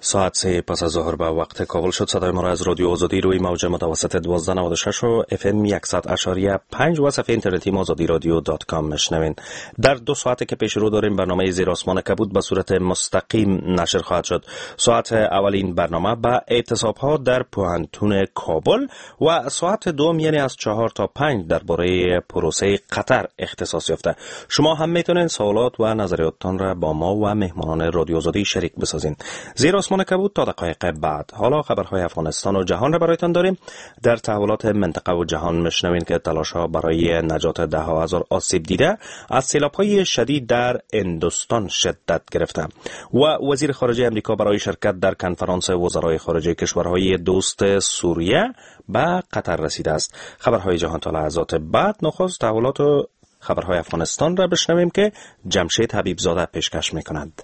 ساعت 3 پس از ظهر به وقت کابل شد. صدای ما را از رادیو آزادی روی موج متوسط 1296 و اف ام 100.5 و صفحه اینترنتی آزادی رادیو dot com میشنوین. در 2 ساعت که پیش رو داریم برنامه زیر آسمان کبود به صورت مستقیم نشر خواهد شد. ساعت اولین برنامه به اعتصاب ها در پوهنتون کابل و ساعت دوم یعنی از 4 تا 5 درباره پروسه قطر اختصاص یافته. شما هم میتونین سوالات و نظریاتتان را با ما و مهمانان رادیو آزادی شریک بسازین. زیر آسمان کبود تا دقایق بعد. حالا خبرهای افغانستان و جهان را برایتان داریم. در تحولات منطقه و جهان میشنوین که تلاش‌ها برای نجات ده هزار آسیب دیده از سیلاب‌های شدید در هندوستان شدت گرفته و وزیر خارجه امریکا برای شرکت در کنفرانس وزرای خارجه کشورهای دوست سوریه به قطر رسیده است. خبرهای جهان تا لحظات بعد. نخست تحولات و خبرهای افغانستان را بشنویم که جمشید حبیب‌زاده پیشکش می‌کند.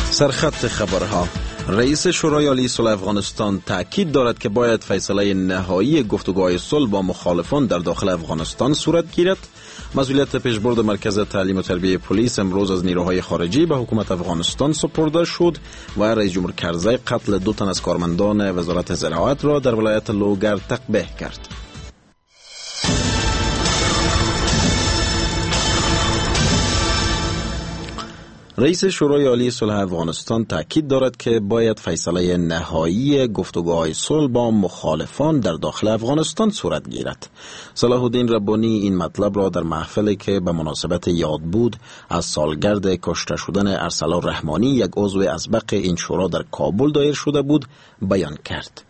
سرخط خبرها: رئیس شورای عالی صلح افغانستان تاکید دارد که باید فیصله نهایی گفتگوهای صلح با مخالفان در داخل افغانستان صورت گیرد. مسئولیت پیشبرد مرکز تعلیم و تربیه پلیس امروز از نیروهای خارجی به حکومت افغانستان سپرده شد و رئیس جمهور کرزی قتل 2 تن از کارمندان وزارت زراعت را در ولایت لوگر تقبیح کرد. رئیس شورای عالی صلح افغانستان تاکید دارد که باید فیصله نهایی گفتگوهای صلح با مخالفان در داخل افغانستان صورت گیرد. صلاح الدین ربانی این مطلب را در محفلی که به مناسبت یاد بود از سالگرد کشته شدن ارسلان رحمانی، یک عضو اسبق این شورا در کابل دایر شده بود، بیان کرد.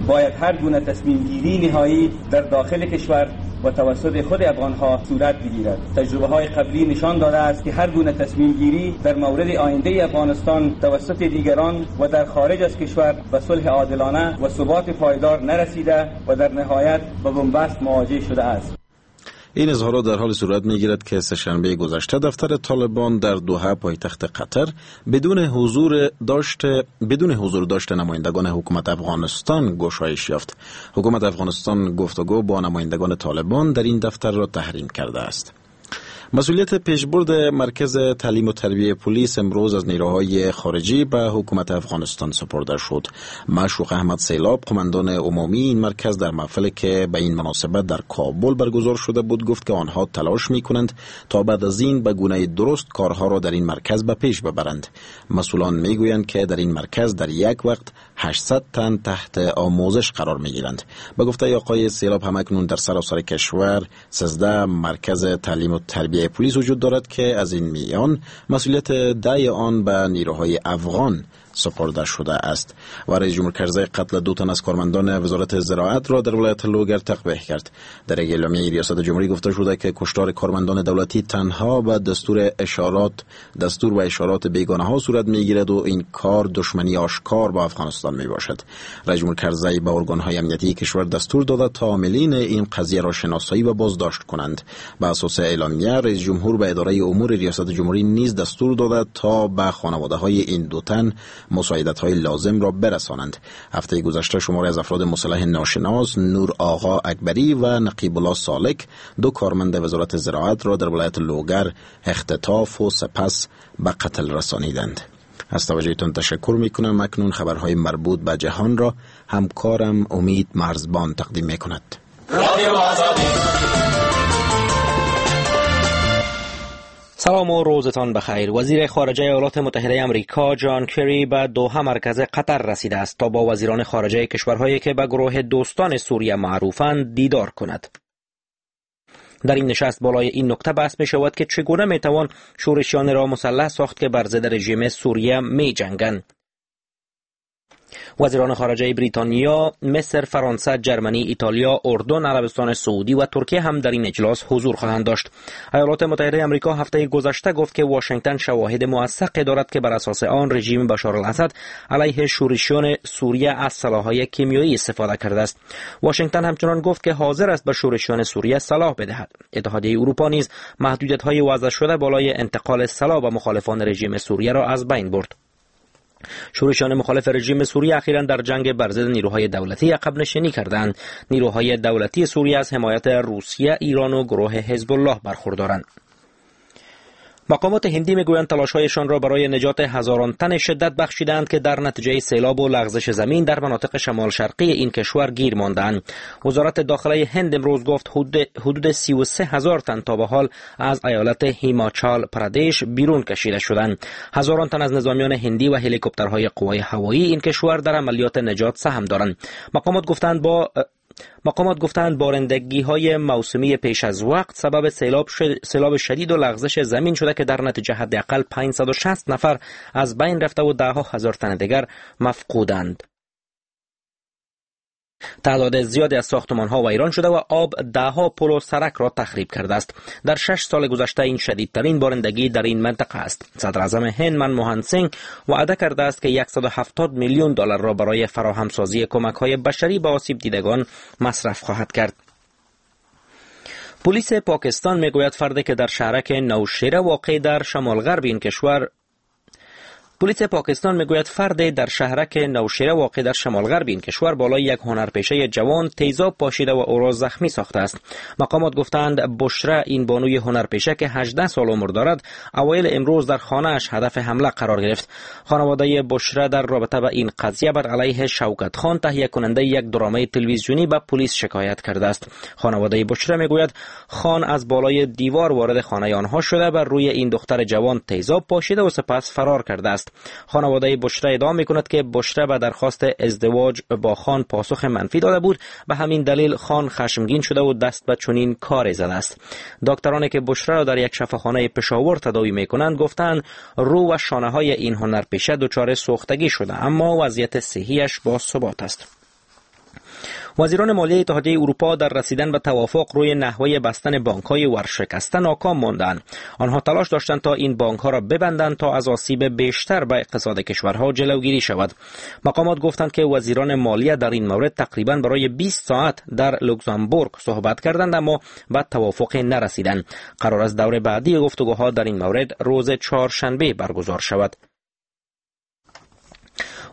باید هر گونه تصمیم گیری نهایی در داخل کشور و توسط خود افغانها صورت بگیرد. تجربه های قبلی نشان داده است که هر گونه تصمیم گیری در مورد آینده افغانستان توسط دیگران و در خارج از کشور به صلح عادلانه و ثبات پایدار نرسیده و در نهایت به بنبست مواجه شده است. این اظهارات در حال صورت می‌گیرد که سه‌شنبه گذشته دفتر طالبان در دوحه پایتخت قطر بدون حضور داشت نمایندگان حکومت افغانستان گشایش یافت. حکومت افغانستان گفتگو با نمایندگان طالبان در این دفتر را تحریم کرده است. مسئولیت پیشبرد مرکز تعلیم و تربیه پلیس امروز از نیروهای خارجی به حکومت افغانستان سپرده شد. معشوق احمد سیلاب، قماندان عمومی این مرکز، در محفلی که به این مناسبت در کابل برگزار شده بود گفت که آنها تلاش می‌کنند تا بعد از این به گونه درست کارها را در این مرکز به پیش ببرند. مسئولان می‌گویند که در این مرکز در یک وقت 800 تن تحت آموزش قرار می‌گیرند. به گفته آقای سیلاب همکنون در سراسر کشور 13 مرکز تعلیم و تربیه پلیس وجود دارد که از این میان مسئولیت 10 آن به نیروهای افغان سپرده شده است. و رئیس جمهور کرزی قتل 2 تن از کارمندان وزارت زراعت را در ولایت لوگر تقبیح کرد. در یک اعلامیه ریاست جمهوری گفته شده که کشتار کارمندان دولتی تنها به دستور و اشارات بیگانه ها صورت میگیرد و این کار دشمنی آشکار با افغانستان می باشد. رئیس جمهور کرزی به ارگان های امنیتی کشور دستور داده تا عاملین این قضیه را شناسایی و بازداشت کنند. به اساس اعلامیه رئیس جمهور به اداره امور ریاست جمهوری نیز دستور داده تا به خانواده های این 2 تن مساعدت‌های لازم را برسانند. هفته گذشته شماری از افراد مسلح ناشناس نور آقا اکبری و نقیب الله سالک، 2 کارمند وزارت زراعت را در ولایت لوگر اختطاف و سپس به قتل رسانیدند. از توجهتان تشکر می‌کنم. اکنون خبرهای مربوط به جهان را همکارم امید مرزبان تقدیم می‌کند. سلام و روزتان بخیر. وزیر خارجه ایالات متحده آمریکا جان کری به دوحه مرکز قطر رسیده است تا با وزیران خارجه کشورهایی که به گروه دوستان سوریه معروفند دیدار کند. در این نشست بالای این نکته بحث می شود که چگونه می توان شورشیان را مسلح ساخت که بر ضد رژیم سوریه می جنگند. وزیران خارجه بریتانیا، مصر، فرانسه، جرمنی، ایتالیا، اردن، عربستان سعودی و ترکیه هم در این اجلاس حضور خواهند داشت. ایالات متحده آمریکا هفته گذشته گفت که واشنگتن شواهد موثقی دارد که بر اساس آن رژیم بشار الاسد علیه شورشیان سوریه از سلاح‌های کیمیایی استفاده کرده است. واشنگتن همچنان گفت که حاضر است به شورشیان سوریه سلاح بدهد. اتحادیه اروپا نیز محدودیت‌های وضع شده بالای انتقال سلاح به مخالفان رژیم سوریه را از بین برد. شورشیان مخالف رژیم سوریه اخیراً در جنگ بر ضد نیروهای دولتی عقب نشینی کردند. نیروهای دولتی سوریه از حمایت روسیه، ایران و گروه حزب الله برخوردارند. مقامات هندی میگویند تلاش‌هایشان را برای نجات هزاران تن شدت بخشیدند که در نتیجه سیلاب و لغزش زمین در مناطق شمال شرقی این کشور گیر ماندند. وزارت داخله هند امروز گفت حدود 33,000 تن تا به حال از ایالت هیماچال پرادش بیرون کشیده شدند. هزاران تن از نظامیان هندی و هلیکوپترهای قوای هوایی این کشور در عملیات نجات سهم دارند. مقامات گفتند بارندگی‌های موسمی پیش از وقت سبب سیلاب شدید و لغزش زمین شده که در نتیجه حداقل 560 نفر از بین رفته و ده ها هزار تن دیگر مفقودند. تعداد زیادی از ساختمان‌ها ویران شده و آب ده‌ها پل و سرک را تخریب کرده است. در 6 سال گذشته این شدیدترین بارندگی در این منطقه است. صدراعظم هند منموهن سینگ وعده کرده است که 170 میلیون دلار را برای فراهمسازی کمک‌های بشری به آسیب دیدگان مصرف خواهد کرد. پلیس پاکستان میگوید فردی که در شهرک نوشیره واقع در شمال غرب این کشور پلیس پاکستان میگوید فرد در شهرک نوشیره واقع در شمال غرب این کشور بالای یک هنرپیشه جوان تیزاب پاشیده و او را زخمی ساخته است. مقامات گفتند بشره، این بانوی هنرپیشه که 18 سال عمر دارد، اوایل امروز در خانه‌اش هدف حمله قرار گرفت. خانواده بشره در رابطه با این قضیه بر علیه شوکت خان، تهیه کننده یک درامای تلویزیونی، به پلیس شکایت کرده است. خانواده بشره میگوید خان از بالای دیوار وارد خانه آنها شده، بر روی این دختر جوان تیزاب پاشیده و سپس فرار کرده است. خانواده بشره ادعا میکند که بشره به درخواست ازدواج با خان پاسخ منفی داده بود، به همین دلیل خان خشمگین شده و دست به چنین کاری زده است. دکترانی که بشره را در یک شفاخانه پشاور تداوی میکنند گفتند رو و شانه های این هنرپیشه دچار سوختگی شده، اما وضعیت صحیش با ثبات است. وزیران مالیه اتحادیه اروپا در رسیدن به توافق روی نحوه بستن بانک‌های ورشکسته ناکام ماندند. آنها تلاش داشتند تا این بانک‌ها را ببندند تا از آسیب بیشتر به اقتصاد کشورها جلوگیری شود. مقامات گفتند که وزیران مالیه در این مورد تقریباً برای 20 ساعت در لوکزامبورگ صحبت کردند، اما به توافق نرسیدند. قرار است دور بعدی گفتگوها در این مورد روز چهارشنبه برگزار شود.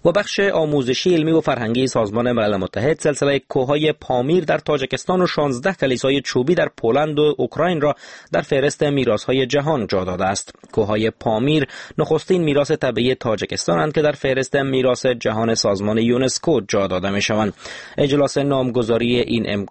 و بخش آموزشی، علمی و فرهنگی سازمان ملل متحد سلسله کوههای پامیر در تاجیکستان و 16 کلیسای چوبی در پولند و اوکراین را در فهرست میراث‌های جهان جا داده است. کوههای پامیر نخستین میراث طبیعی تاجیکستان اند که در فهرست میراث جهان سازمان یونسکو جا داده می‌شوند. اجلاس نامگذاری این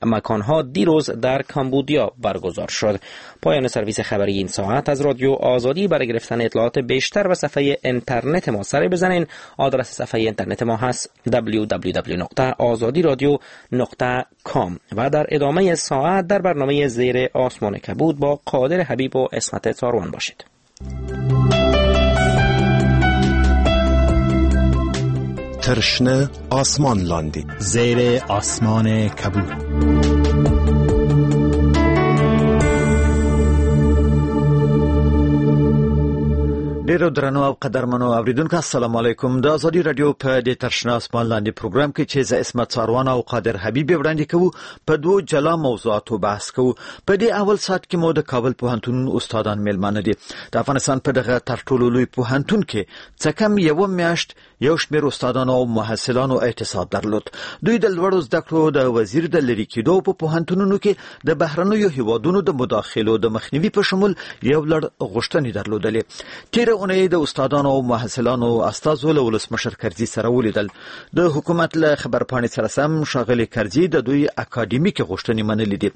مکان‌ها دیروز در کامبودیا برگزار شد. پایان سرویس خبری این ساعت از رادیو آزادی. برای گرفتن اطلاعات بیشتر به صفحه اینترنت ما سر بزنین. آدرس صفحه اینترنت ما هست www.azadiradio.com و در ادامه ساعت در برنامه زیر آسمان کبود با قادر حبیب و عصمت ساروان باشید. ترشنه آسمان لاندی، زیر آسمان کبود. ډیرو درنو او قدرمنو اوریدونکو، السلام علیکم. د ازادي رادیو په دې ترشنا اسمان لاندې پروګرام کې چې زه عصمت څاروان او قادر حبیب وړاندې کوو، په دوو جلا موضوعاتو بحث کوو. په دې اول ساعت کې مو د کابل پوهنتون استادان میلمانه دي. د افغانستان په دغه تر ټولو لوی پوهنتون کې څه کم یوه میاشت یو شمېر استادانو او محصلانو اعتصاب درلود. دوی د لوړو زده کړو د وزیر د لرې کېدو په پوهنتونونو کې د بهرنیو هیوادونو د مداخلو د مخنیوي په شمول یو لړ غوښتنې درلودلې. تېره اونۍ د استادانو او محصلانو استازو له ولسمشر کرزي سره ولیدل. د حکومت له خبرپاڼې سره سم ښاغلي کرزي د دوی اکاډمیکې غوښتنې منلې دي.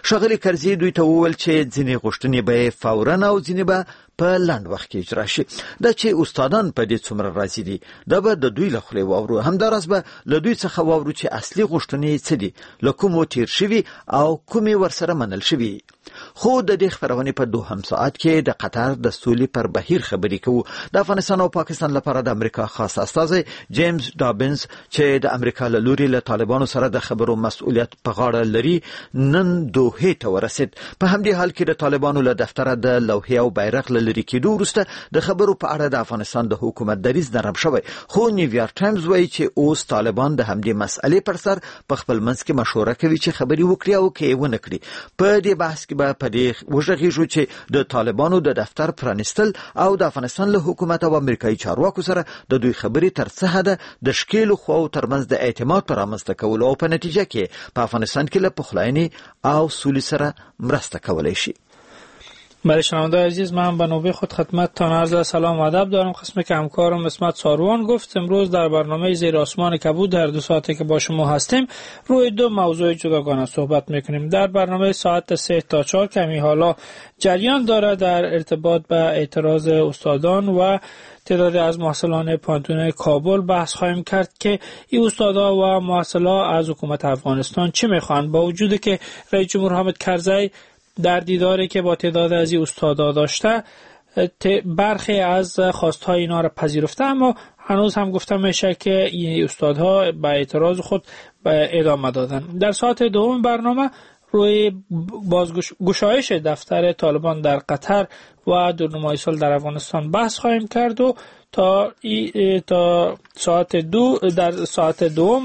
ښاغلي کرزي دوی ته وویل چې ځینې غوښتنې به یې فوراً او ځینې به په لنډ وخت کې اجرا شي. دا چې استادان په دې څومره راضي دي، دا به د دوی له خولې واورو. همداراز به له دوی څخه واورو چې اصلي غوښتنې یې څه دي، له کومو تېر شوي او کومې ورسره منل شوي. خو د دې خپرونې په دوهم ساعت کې د قطر د سولې پر بهیر خبرې کوو. د افغانستان او پاکستان لپاره د امریکا خاص استازی جیمز دابنز چې د امریکا له لوري له طالبانو سره د خبرو مسؤلیت په غاړه لري، نن دوحې ته ورسید. په همدې حال کې د طالبانو له دفتره د لوحې او بیرغ له لرې کېدو وروسته د خبرو په اړه د افغانستان د حکومت دریځ نرم شوی، خو نیویارک ټایمز وایي چې اوس طالبان د همدې مسئلې پر سر په خپل منځ کې مشوره کوي چې خبرې وکړي او که یې ونه کړي. په دې بحث کې به په دې وغږیږو چې د طالبانو د دفتر پرانیستل او د افغانستان له حکومت او امریکایي چارواکو سره د دوی خبرې تر څه حده د ښکېلو خواوو ترمنځ د اعتماد پر رامنځته کولو او په نتیجه کې په افغانستان کې له پخلاینې او سولې سره مرسته کولی شي. بله شنونده عزیز، من به نوبه خود خدمتتان عرض سلام و ادب دارم. قسمی که همکارم عصمت ساروان گفت، امروز در برنامه زیر آسمان کبود در 2 ساعتی که با شما هستیم روی 2 موضوع جداگانه صحبت میکنیم. در برنامه ساعت 3 تا 4 کمی حالا جریان داره در ارتباط به اعتراض استادان و تعداد از محصلان پوهنتون کابل بحث خواهیم کرد که این استادا و محصلا از حکومت افغانستان چه میخوان، با وجود که رئیس جمهور حامد کرزی در دیداری که با تعداد از این استادا داشته برخی از خواستهای اینا را پذیرفته، اما هنوز هم گفته میشه که این استادها به اعتراض خود ادامه دادن. در ساعت دوم برنامه روی بازگشایش دفتر طالبان در قطر و دورنمای سال در افغانستان بحث خواهیم کرد و تا ساعت 2 در ساعت دوم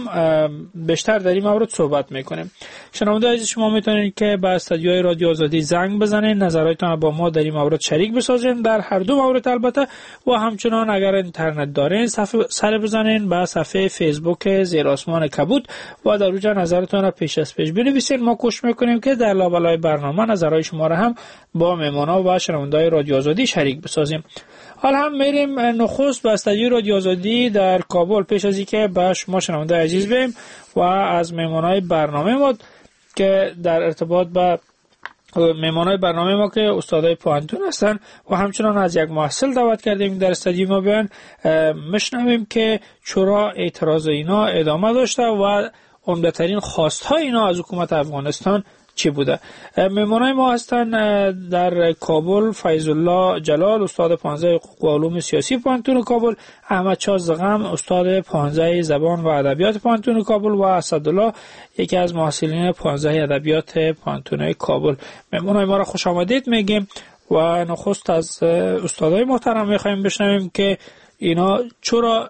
بیشتر در این مورد صحبت میکنیم. شنونده عزیز، شما میتونید که به استودیوی رادیو آزادی زنگ بزنید، نظراتتان با ما در این مورد شریک بسازین، در هر دو مورد البته، و همچنان اگر اینترنت دارین سر بزنین به صفحه فیسبوک زیر آسمان کبود و در اونجا نظرتان را پیش از پیش بنویسین. ما کوشش میکنیم که در لابلای برنامه نظرهای شما را هم با مهمانا و شنونده‌های رادیو آزادی شریک بسازیم. حالا هم میریم نخست به استودیوی رادیو آزادی در کابل پیش از اینکه به شما شنونده عزیز بیم و از مهمانای برنامه ما که در ارتباط با مهمانای برنامه ما که استادای پوهنتون هستن و همچنان از یک محصل دعوت کردیم در استودیو ما بیان، مشنویم که چرا اعتراض اینا ادامه داشته و عمده‌ترین خواست‌های اینا از حکومت افغانستان چی بوده. مهمانای ما هستن در کابل فیض الله جلال، استاد 15 حقوق و علوم سیاسی پوهنتون کابل، احمد شاه زغم، استاد 15 زبان و ادبیات پوهنتون کابل، و اسدالله یکی از محصلین 15 ادبیات پوهنتون کابل. مهمانای ما را خوش آمدید میگیم و نخست از استادای محترم میخوایم بشنویم که اینا چرا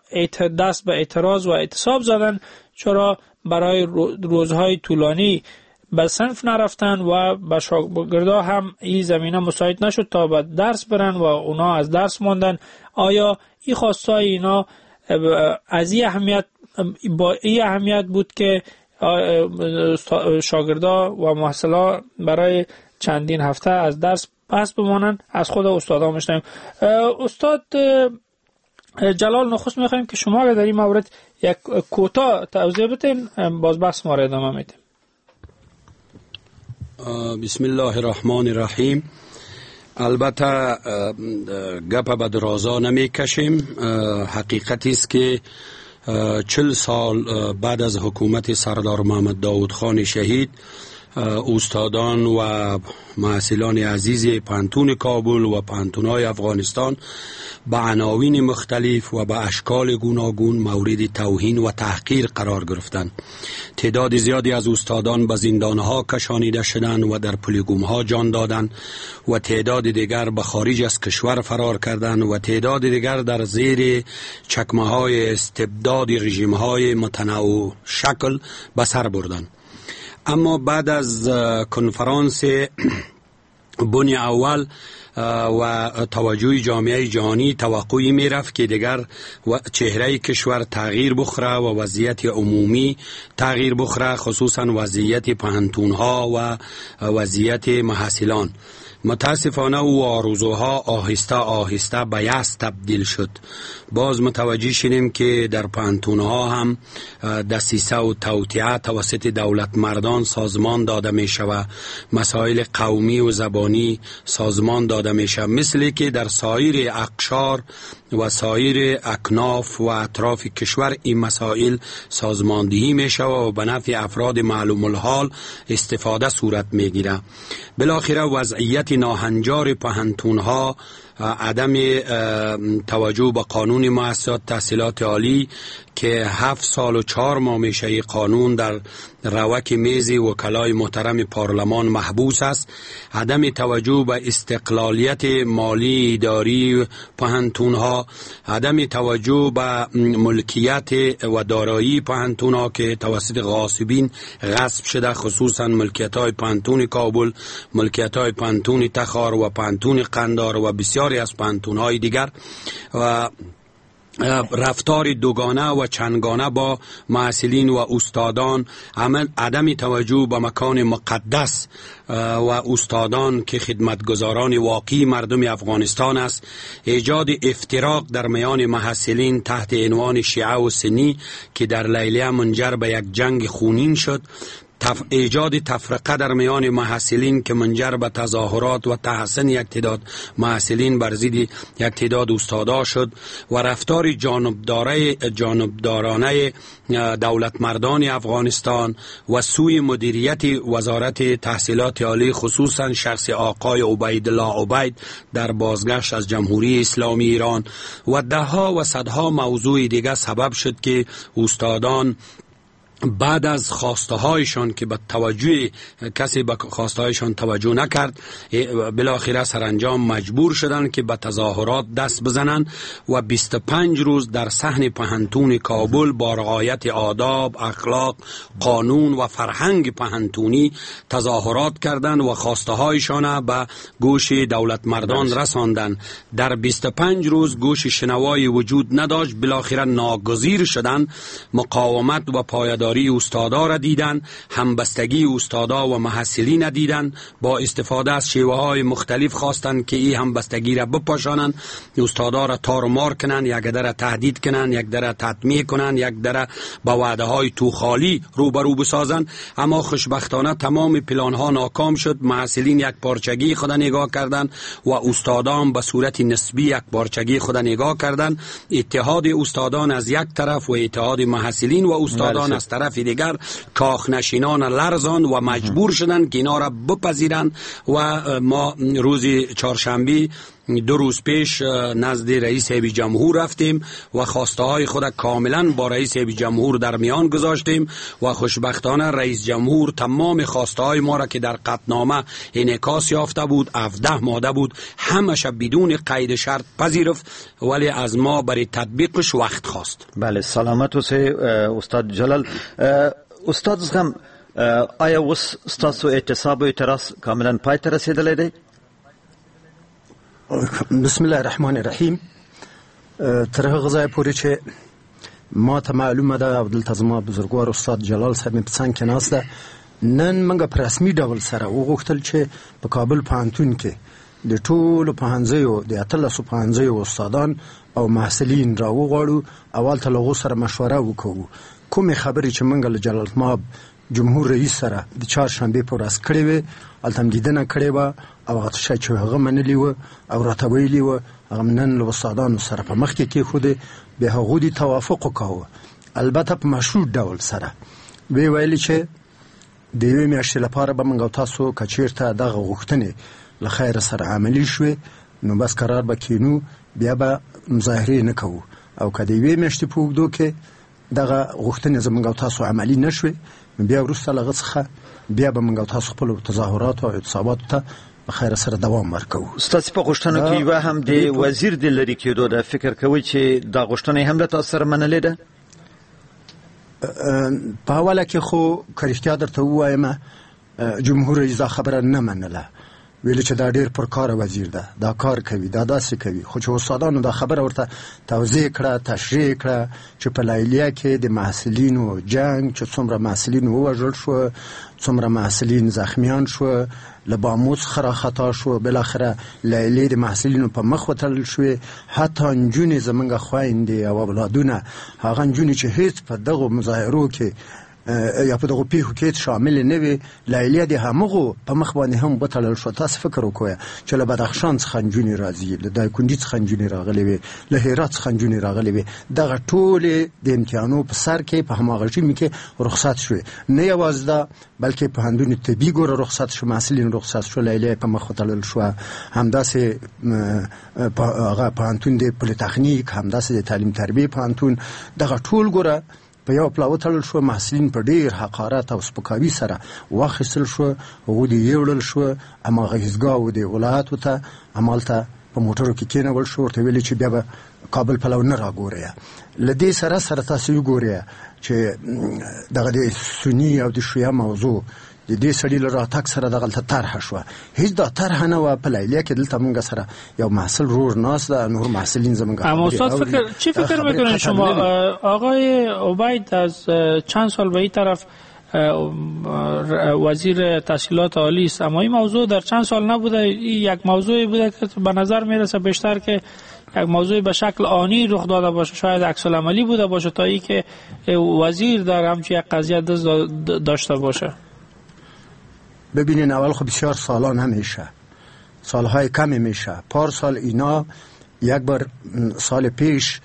دست به اعتراض و اعتصاب زدن، چرا برای روزهای طولانی به صنف نرفتن و به شاگردا هم این زمینه مساعد نشد تا به درس برن و اونا از درس ماندن. آیا این خواستای اینا از این اهمیت با این اهمیت بود که شاگردا و محصلا برای چندین هفته از درس پس بمانن؟ از خود استادا میشنویم. استاد جلال، نخست میخوایم که شما در این مورد یک کوتاه توضیح بدین، باز بحث ما را ادامه میدیم. بسم الله الرحمن الرحیم. البته گپ به درازا نمی کشیم. حقیقت است که 40 سال بعد از حکومت سردار محمد داود خان شهید، استادان و محصلان عزیز پوهنتون کابل و پوهنتون‌های افغانستان به عناوین مختلف و به اشکال گوناگون مورد توهین و تحقیر قرار گرفتند. تعداد زیادی از استادان به زندانها کشانیده شدند و در پلیگومها جان دادند و تعداد دیگر به خارج از کشور فرار کردند و تعداد دیگر در زیر چکمه‌های استبداد رژیم‌های متنوع شکل به سر بردند. اما بعد از کنفرانس بن اول و توجه جامعه جهانی توقعی می رفت که دیگر چهره کشور تغییر بخوره و وضعیت عمومی تغییر بخوره، خصوصا وضعیت پوهنتون‌ها و وضعیت محصلان. متاسفانه او آرزوها آهسته آهسته به یأس تبدیل شد. باز متوجه شدیم که در پوهنتون‌ها هم دسیسه و توطئه توسط دولت مردان سازمان داده می شود، مسائل قومی و زبانی سازمان داده می شود، مثل که در سایر اقشار و سایر اکناف و اطراف کشور این مسائل سازماندهی می شود و به نفع افراد معلوم الحال استفاده صورت می گیرد. بالاخره وضعیت ناهنجار پوهنتون‌ها، عدم توجه به قانون مؤسسات تحصیلات عالی که 7 سال و 4 ماه میشه قانون در روک میز وکلای محترم پارلمان محبوس است، عدم توجه به استقلالیت مالی اداری پوهنتون‌ها، عدم توجه به ملکیت و دارایی پوهنتون‌ها که توسط غاصبین غصب شده، خصوصا ملکیت‌های پوهنتون کابل، ملکیت‌های پوهنتون تخار و پوهنتون قندار و بسیاری از پوهنتون‌های دیگر، و رفتار دوگانه و چندگانه با محصلین و استادان، عدم توجه به مکان مقدس و استادان که خدمتگزاران واقعی مردم افغانستان است، ایجاد افتراق در میان محصلین تحت عنوان شیعه و سنی که در لیلیه منجر به یک جنگ خونین شد، ایجاد تفرقه در میان محصلین که منجر به تظاهرات و تحسن یک تعداد محصلین بر ضد یک تعداد استادا شد و رفتار جانبدارانه دولتمردان افغانستان و سوی مدیریت وزارت تحصیلات عالی، خصوصا شخص آقای عبیدالله عبید در بازگشت از جمهوری اسلامی ایران و دهها و صدها موضوع دیگه سبب شد که استادان بعد از خواسته هایشان که به توجه کسی به خواسته هایشان توجه نکرد، بالاخره سرانجام مجبور شدند که به تظاهرات دست بزنند و 25 روز در صحن پهنتون کابل با رعایت آداب، اخلاق، قانون و فرهنگ پهنتونی تظاهرات کردند و خواسته هایشان به گوش دولت مردان رساندند. در 25 روز گوش شنوایی وجود نداشت، بالاخره ناگزیر شدند مقاومت و پایداری استادا را دیدن، همبستگی استادا و محصلین دیدن، با استفاده از شیوه های مختلف خواستند که این همبستگی را بپاشانند، استادا را تار و مار کنند، یک در تهدید کنند، یک در تطمیع کنند، یک در با وعده های توخالی روبرو بسازند. اما خوشبختانه تمام پلان ها ناکام شد. محصلین یک پارچگی خود نگاه کردند و استادان به صورت نسبی یک پارچگی خود نگاه کردند. اتحاد استادان از یک طرف و اتحاد محصلین و استادان از طرف دیگر کاخ نشینان لرزان و مجبور شدند که اینا را بپذیرند و ما روز چهارشنبه 2 روز پیش نزد رئیس هیئت جمهور رفتیم و خواسته های خود کاملا با رئیس هیئت جمهور در میان گذاشتیم و خوشبختانه رئیس جمهور تمام خواسته های ما را که در قطعنامه انعکاس یافته بود، 17 ماده بود، همش بدون قید شرط پذیرفت، ولی از ما برای تطبیقش وقت خواست. بله، سلامت اوسئ استاد جلال. استاد زغم، آیا اوس ستاسو اعتصاب و اعتراض کاملا پای ته رسېدلی دی؟ بسم الله الرحمن الرحیم. تر هغه ځایه پورې چې ما ته معلومه ده او دلته زما بزرګوار استاد جلال صاحب مې په څنګ کې ناست ده، نن موږ په رسمي ډول سره وغوښتل چې په کابل پوهنتون کې د ټولو پوهنځیو د 18 پوهنځیو استادان او محصلین راوغواړو او هلته له هغو سره مشوره وکړو. کومې خبرې چې موږ له جلالتمآب جمهور رئیس سره د چهارشنبې په ورځ کړې وې، هلته هم لیدنه کړې وه او هغه څه چې هغه منلي وه او راته ویلي وه، هغه نن له استادانو سره په مخ کې کېښودې، بیا هغو دې توافق وکاوه، البته په مشروط ډول سره. ویې ویل چې د یوې میاشتې لپاره به موږ او تاسو که چېرته دغه غوښتنې له خیره سره عملي شوې، نو بس قرار به کینو، بیا به مظاهرې نه کوو، او که د یوې میاشتې په اوږدو کې دغه غوښتنې زموږ او تاسو عملي نه شوې، بیا وروسته له هغه څخه بیا به موږ او تاسو خپلو تظاهراتو او اعتصاباتو ته په خیره سره دوام ورکوو. ستاسو په غوښتنو کې یوه هم د وزیر د لرې کېدو ده، فکر کوئ چې دا غوښتنه یې هم له تاسو سره منلې ده؟ په اوله کې خو که رښتیا درته ووایم، جمهور رئیس دا خبره نه منله، ویل چې دا ډیر پرکاره وزیر ده، دا کار کوي، دا داسې کوي. خو چې استادانو دا خبره ورته توضیح کړه، تشریح کړه چې په لیلیه کې د محصلینو جنگ، چې څومره محصلین ووژل شو، څومره محصلین زخمیان شو، له بامو څخه راخطا شو، بالاخره لیلې د محصلینو په مخ وتړل شوې، حتی نجونې زمونږ خویندې او اولادونه، هغه نجونې چې هیڅ په دغو مظاهرو کې یا په دغو پیښو کې شامل نه وي، لیلیه د همغو په مخ باندې هم وتړل شو. تاسو فکر وکړئ چې له بدخشان څخه نجونې راځي، له دایکنډي څخه نجونې راغلې وي، له هرات څخه نجونې راغلې وي، دغه ټولې د امتحانو په سر کې په هماغه ژمي کې رخصت شوې. نه یوازې دا، بلکې پوهنتون طبي ګوره رخصت شو، محصلین رخصت شو، لیلیه په مخ وتړل شوه. همداسې هغه پوهنتون د پولیتخنیک، همداسې د تعلیم تربیې پوهنتون، دغه ټول ګوره په یو پلا وتړل شو. محصلین په ډیر حقارت او سپکاوي سره واخیستل شو، هغو دې یوړل شو، هماغه هیڅګاو د ولایاتو ته همالته په موټرو کې کېنول شو، ورته ویلې چې بیا به کابل پلو نه راګورئ. له دې سره سره تاسو وګورئ چې دغه د سني او د شیعه موضوع د دې سړي له راتګ سره دغلته طرحه شوه. هیڅ دا طرحه نه وه په لیلیه کې. دلته مونږ سره یو محصل رور ناست ده، نور محصلین زمونږ. اما استاد فکر چی فکر میکنین شما؟ آقای عبید از چند سال به این طرف وزیر تحصیلات عالی است، اما این موضوع در چند سال نبوده. یک موضوعی بوده که به نظر میرسه بیشتر که یک موضوع به شکل آنی رخ داده باشه، شاید عکس العملی بوده باشه تا ای که وزیر در همچین یک قضیه دست داشته باشه. ببینین، اول خب بسیار سالا نمیشه، سالهای کمی میشه. پارسال اینا یک بار سال پیش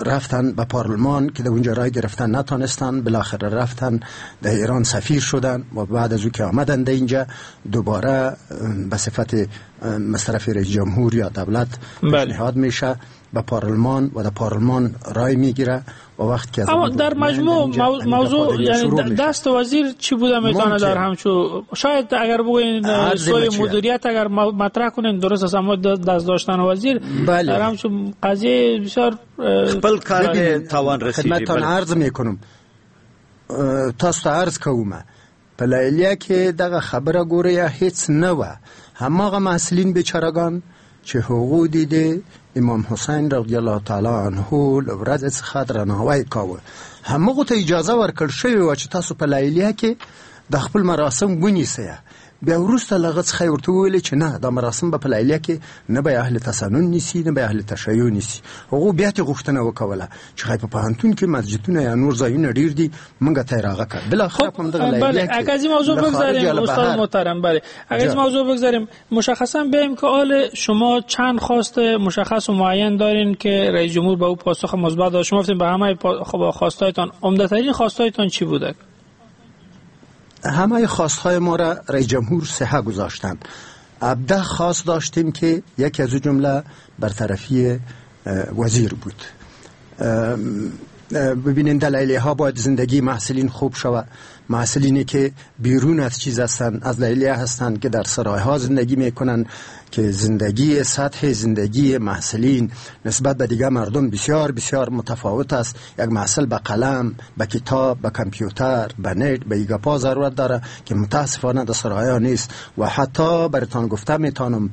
رفتن به پارلمان که در اونجا رای گرفتن نتانستن، بالاخره رفتن در ایران سفیر شدن و بعد از او که آمدن در اینجا دوباره به صفت مصرف رئیس جمهور یا دولت پیشنهاد میشه به پارلمان و در پارلمان رای میگیره و وقت که اما در مجموع موضوع یعنی دست وزیر چی بوده میتونه در همچو شاید اگر بگوین سوی مدیریت اگر مطرح کنین درست است، اما دست داشتن وزیر در همچو قضیه بسیار خپل کار توان رسیدی. خدمتتان عرض میکنم، تاسو ته عرض کوم، په لیلیه کې دغه خبره ګوره هیڅ نه وه. هماغه محصلین بیچارهګان چې هغو دي د امام حسین رضی الله تعالی عنه له ورځې څخه درناوی کاوه، همغو ته اجازه ورکړ شوې وه چې تاسو په لیلیه کې د خپل مراسم ونیسئ. بیا وروسته له هغه څخه یې ورته وویلې چې نه، دا مراسم به په لیلیه کې نه به اهل تسنن نیسي نه به اهل تشیع نیسي. هغو بیا ترې غوښتنه وکوله چې ښایي په پوهنتون کې مسجدونه یا نور ځایونه ډېر دي، موږ ته یې راغه کړه. بالاخره په همدغه لیلیه کې. اگر از این موضوع بگذاریم استاد محترم، بله اگر از موضوع بگذاریم مشخصا بیایم که آل شما چند خواست مشخص و معین دارین که رئیس جمهور به او پاسخ مثبت داد. شما گفتین به همه خواستایتان، عمده‌ترین خواستایتان چی بوده؟ همه خواستهای ما را رئیس جمهور صحه گذاشتند. 17 خواست داشتیم که یکی از جمله برطرفی وزیر بود. ببینین دلایلی ها باید زندگی محصلین خوب شود، محصلینی که بیرون از چیز هستند، از لیلیه هستند که در سرای ها زندگی میکنن، که زندگی سطح زندگی محصلین نسبت به دیگر مردم بسیار بسیار متفاوت است. یک محصل به قلم، به کتاب، به کامپیوتر، به نت، به ایگاپا ضرورت داره که متاسفانه در سرای ها نیست. و حتی براتان گفته میتونم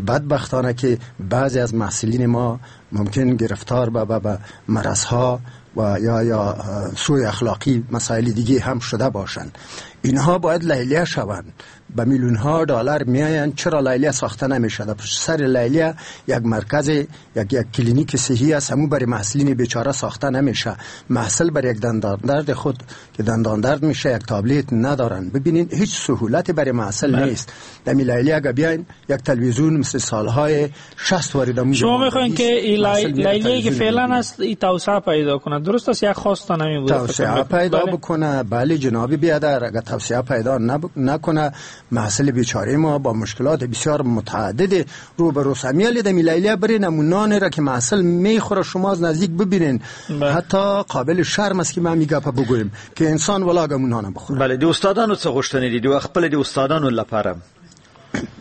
بدبختانه که بعضی از محصلین ما ممکن گرفتار به مرض ها و یا سوء اخلاقی مسائل دیگه هم شده باشند. اینها باید لیلیه شوند، به میلیون ها دلار میآیند. چرا لیلیه ساخته نمیشه؟ در پشت سر لیلیه یک مرکز، یک کلینیک صحی است، همون برای محصلین بیچاره ساخته نمیشه. محصل برای یک دندان درد خود که دندان درد میشه یک تابلت ندارن. ببینین هیچ سهولتی برای محصل نیست. در لیلیه اگه بیاین یک تلویزیون مثل سالهای 60 وارد. شما میخواین که لیلیه که فعلا است این توسعه پیدا کنه، درست است؟ یک خواست نمی بود توسعه پیدا بکنه. بله جناب بیادر، اگه توسعه پیدا نکنه محصل بیچاره ما با مشکلات بسیار متعدد روبرو است. امیال د لیلیه برین نمونان را که محصل میخوره شما از نزدیک ببینین، حتی قابل شرم است که ما میگپ بگویم که انسان ولا ګمونانه بخوره. بله د استادانو څه غوښتنې دي؟ د خپل د استادانو لپاره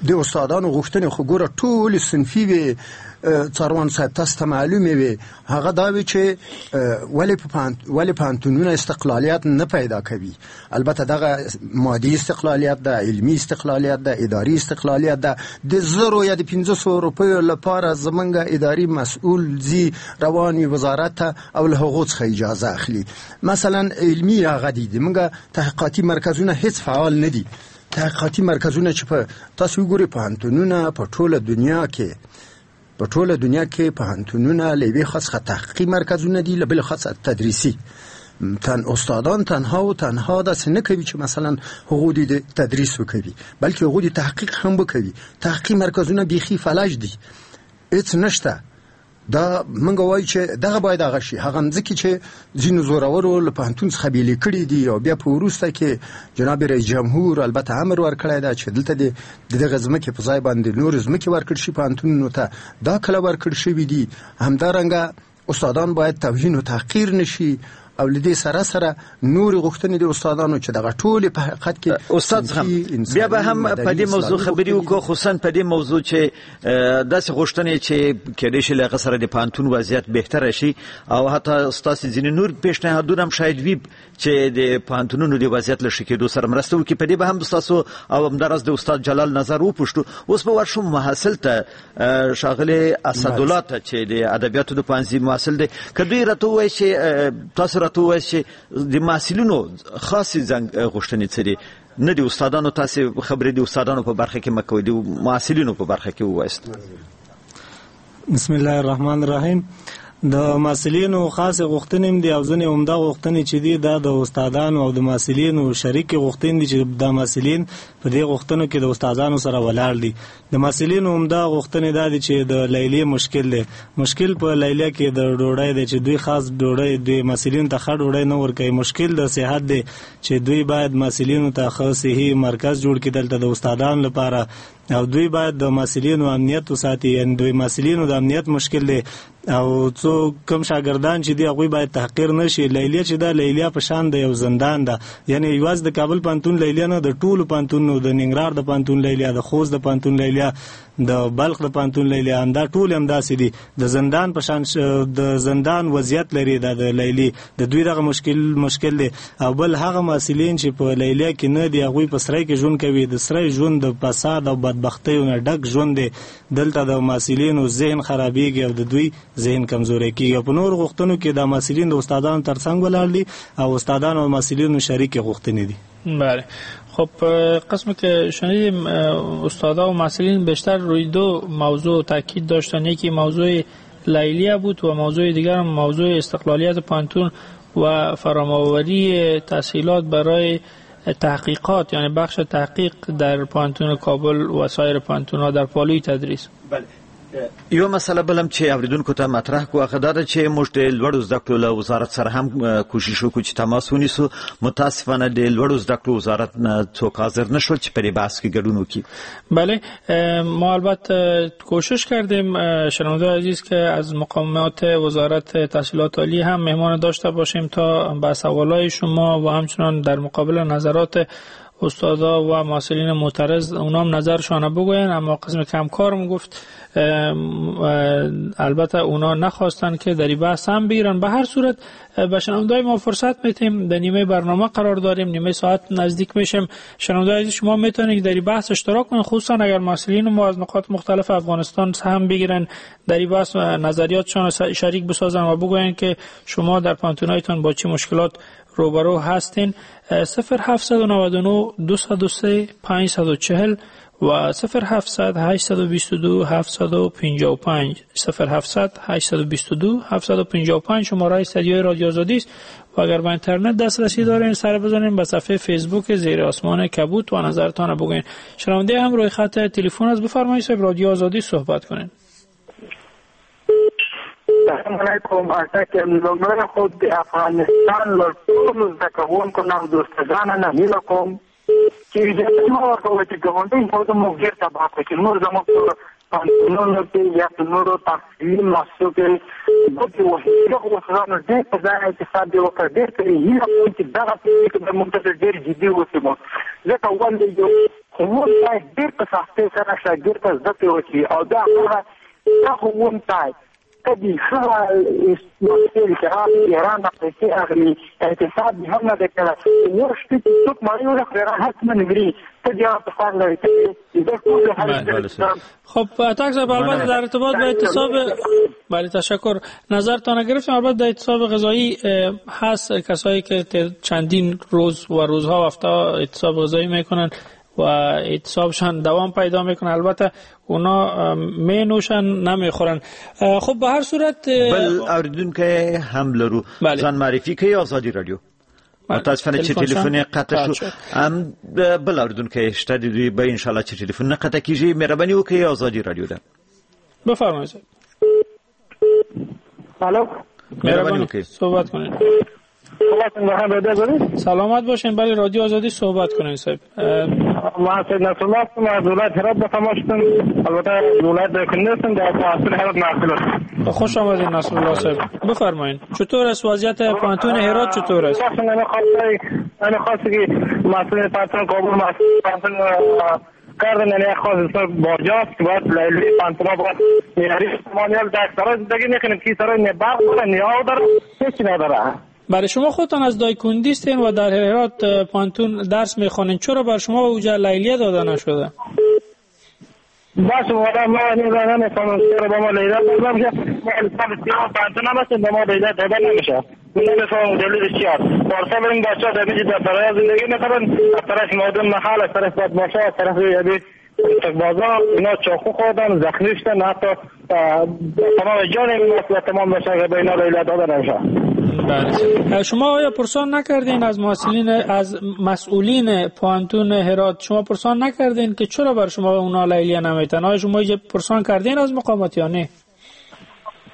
د استادانو غوښتنې خو ګوره ټول صنفي وي، څاروان صاحب تاسو ته معلومې وي. هغه دا وي چې ولې پوهنتونونه استقلالیت نه پیدا کوي. البته دغه مادي استقلالیت ده، علمي استقلالیت ده، اداري استقلالیت ده. د 1000 یا د 500 روپیو لپاره زمونږ اداري مسؤل ځي روان وي وزارت ته او له هغو څخه اجازه اخلي. مثلا علمي هغه دي، زمونږ تحقیقاتي مرکزونه هیڅ فعال نه دي. تحقیقاتي مرکزونه چې په تاسو وګورئ پوهنتونونه په ټوله دنیا کې، په ټوله دنیا کې پوهنتونونه له یوې خوا څخه تحقیقي مرکزونه دي، له بلې خوا څخه تدریسي. تن استادان تنها و تنها داسې نه کوي چې مثلا هغو دې تدریس وکوي، بلکې هغو دې تحقیق هم وکوي. تحقیقي مرکزونه بیخي فلج دي، هیڅ نشته. دا موږ وایو چې دغه باید هغه شي. هغه مځکې چې ځینو زورورو له پوهنتون څخه بېلې کړې دي او بیا په وروسته کې جناب رئیس جمهور البته امر ورکړی دی چې دلته د دغه ځمکې په ځای باندې نورې ځمکې ورکړ شي پوهنتونونو ته، دا کله ورکړ شوي دي. همدارنګه استادان باید توهین و تحقیر نشي او له دې سره سره نورې غوښتنې د استادانو چې دغه ټولې په حقیقت کې استاد زغم بیا به هم په دې موضوع خبرې وکړو، خصوصا په دې موضوع چې داسې غوښتنې چې کېدای شي له هغه سره د پوهنتون وضعیت بهتره شي او حتی ستاسې ځینې نور پیشنهادونه هم شاید وي چې د پوهنتونونو د وضعیت له ښه کېدو سره مرسته وکړي. په دې به هم ستاسو او همداراز د استاد جلال نظر وپوښتو. اوس به ورشو محصل ته، ښاغلی اسدالله ته چې د ادبیاتو د پوهنځي محصل دی، که دوی راته ووایي چې تاسو راته ووایئ چې د محصلینو خاصې غوښتنې څه دي، نه د استادانو، تاسې خبرې د استادانو په برخه کې مه کوئ، د محصلینو په برخه کې ووایاست. بسم الله الرحمن الرحیم. د محصلینو خاصې غوښتنې هم دي او ځینې عمده غوښتنې چې دي دا د استادانو او د محصلینو شریکې غوښتنې دي چې دا محصلین په دې غوښتنو کې د استادانو سره ولاړ دي. د محصلینو عمده غوښتنې دا دي چې د لیلیې مشکل دی، مشکل په لیلیه کې د ډوډۍ دی چې دوی خاص ډوډۍ دوی محصلینو ته ښه ډوډۍ نه ورکوي. مشکل د صحت دی چې دوی باید محصلینو ته ښه صحي مرکز جوړ کړي دلته د استادانو لپاره، او دوی باید د محصلینو امنیت وساتي، یعنی دوی محصلینو د امنیت مشکل دی. او څو کم شاګردان چې دی هغوی باید تحقیر نه شي. لیلیه چې ده لیلیه په شان د یو زندان ده، یعنی یوازې د کابل پوهنتون لیلیه نه، د ټولو پوهنتونونو، د ننګرهار د پوهنتون لیلیه، د خوست د پوهنتون لیلیه، د بلخ د پوهنتون لیلیه، همدا ټول همداسې دي، د زندان په شان د زندان وضعیت لري دا د لیلې، د دوی دغه مشکل دی. او بل هغه محصلین چې په لیلیه کې نه دي هغوی په سرای کې ژوند کوي، د سرای ژوند د فساد او بدبختیو نه ډک ژوند دی. دلته د محصلینو ذهن خرابیږي او د دوی ذهن کمزوری کیږي. په نور غوښتنو کې د محصلین د استادانو ترڅنګ ولاړ دي او استادانو او محصلینو شریکې غوښتنې دي. بله، خب قسمی که شنیدیم استادا و محصلین بیشتر روی دو موضوع تاکید داشتن، یکی موضوع لیلیه بود و موضوع دیگر موضوع استقلالیت پوهنتون و فراماوری تحصیلات برای تحقیقات، یعنی بخش تحقیق در پوهنتون کابل و سایر پوهنتون‌ها در پالوی تدریس. بله، یو مسله بل هم چې اوریدونکو ته مطرح کو هغه دا ده چې موږ د لوړو زده کړو له وزارت سره هم کوشش وکړو چې تماس ونیسو. متاسفانه د لوړو زده کړو وزارت نه څوک حاضر نشول چې په دې بحث کې ګډون وکړي. بله، ما البته کوشش کردیم شنونده عزیز که از مقامات وزارت تحصیلات عالی هم مهمان داشته باشیم تا به سوالای شما و همچنان در مقابل نظرات استادا و محصلین معترض اونام نظرشان بگوین، اما قسم که همکارم گفت البته اونا نخواستن که در این بحث هم بگیرن. به هر صورت به شنونده‌های ما فرصت میتیم، در نیمه برنامه قرار داریم، نیمه ساعت نزدیک میشیم. شنونده‌های عزیز شما میتونید در این بحث اشتراک کنید، خصوصا اگر محصلین ما از نقاط مختلف افغانستان هم بگیرن در این بحث نظریاتشان شریک بسازن و بگوین که شما در پوهنتون‌هایتان با چه مشکلات روبرو هستین. 0799 203 540 و 0700 822 755 0700 822 755 شماره استدیوی رادیو آزادی است و اگر به اینترنت دسترسی دارین سر بزنین به صفحه فیسبوک زیر آسمان کبود و نظرتان بگوین. شنونده هم روی خط تلفن است، بفرمایید صاحب رادیو آزادی صحبت کنین. السلام علیکم. اټک لومړی خو د افغانستان له ټولو زده کوونکو نه او دوستانو نه هیله کوم چې اجازه مه ورکوئ چې ګاونډي هېواد موږ ډېر تباه کړي، چې نور زموږ په پوهنتونونو کې یا په نورو تحصیلي مؤسسو کې بدې وهي. دغو استادانو ډېر په ځای اعتصاب دې وکړ. ډېر ترې هیله کوم چې دغه پرېکړه به موږ ته ډېر جدي اوسېږو، ځکه ولې یو ښوونکی ډېر په سختۍ سره شاګرد ته زده کړې وکړي او دا هغه دا ښوونکی کدی ښه محصل چې راغی ایران نه پیسې اخلي، اعتصاب یې هم نه دی کړی، یو شپه چې څوک مړی وخوري هغه حتما مري. ته بیا په سر لري خب اتک صاحب، البته در ارتباط با اعتصاب، بله تشکر، نظرتان گرفتم. البته در اعتصاب غذایی هست کسایی که چندین روز و روزها و هفته اعتصاب غذایی میکنن و اعتصابشان دوام پیدا میکنه، البته اونا می نوشن نمیخورن. خب به هر صورت بل اوریدونکی هم لرو. ځان معرفي کوي ازادي رادیو. متاسفانه چې تلفن قطع شو. هم بل اوریدونکی شته د دوی به ان شاء الله چې تلفن نه قطع کیږي. مهرباني وکړئ ازادي رادیو ده. بفرمایید. الو، مهرباني وکړئ صحبت کنید. سلامت باشین. بله رادیو آزادی صحبت کنین صاحب. ما سید نصرالله هستم از ولایت هرات به تماس شدم. البته ولایت کندز هستم، در تحصیل هرات محصول هستم. خوش آمدید نصرالله صاحب، بفرمایید چطور است وضعیت پوهنتون هرات؟ چطور است؟ من خواست که مسئول پوهنتون کابل مسئول پوهنتون کردن، یعنی خواست باجاست باید لیلی پوهنتون باید میاری مانیال در سرای زندگی میکنیم که سرای نه برق داره نه آب داره، هیچ نداره. برای شما خودتان از دایکندی هستین و در هرات پوهنتون درس میخوانین، چرا بر شما اوجه لیلیه داده نشده؟ باشه والا ما نمیفهمم چرا با ما لیلیه داده نمیشه. ما سال سیاه پوهنتون هم هستیم، با ما لیلیه داده نمیشه. نمیفهمم دلیلش چی است. پارسال این بچه‌ها در اینجا در سرای زندگی میکنن، از طرف مردم محل، از طرف بدماشا، از طرف یعنی بازار اینا چاقو خوردن، زخمی شدن، حتی تمام جان این مسئله تمام بشه که به اینا لیلیه داده نمیشه. بله. شما آیا پرسان نکردین از محصلین، از مسئولین پوهنتون هرات، شما پرسان نکردین که چرا بر شما اونا لیلیه نمیتن؟ آیا شما پرسان کردین از مقامات یا نه؟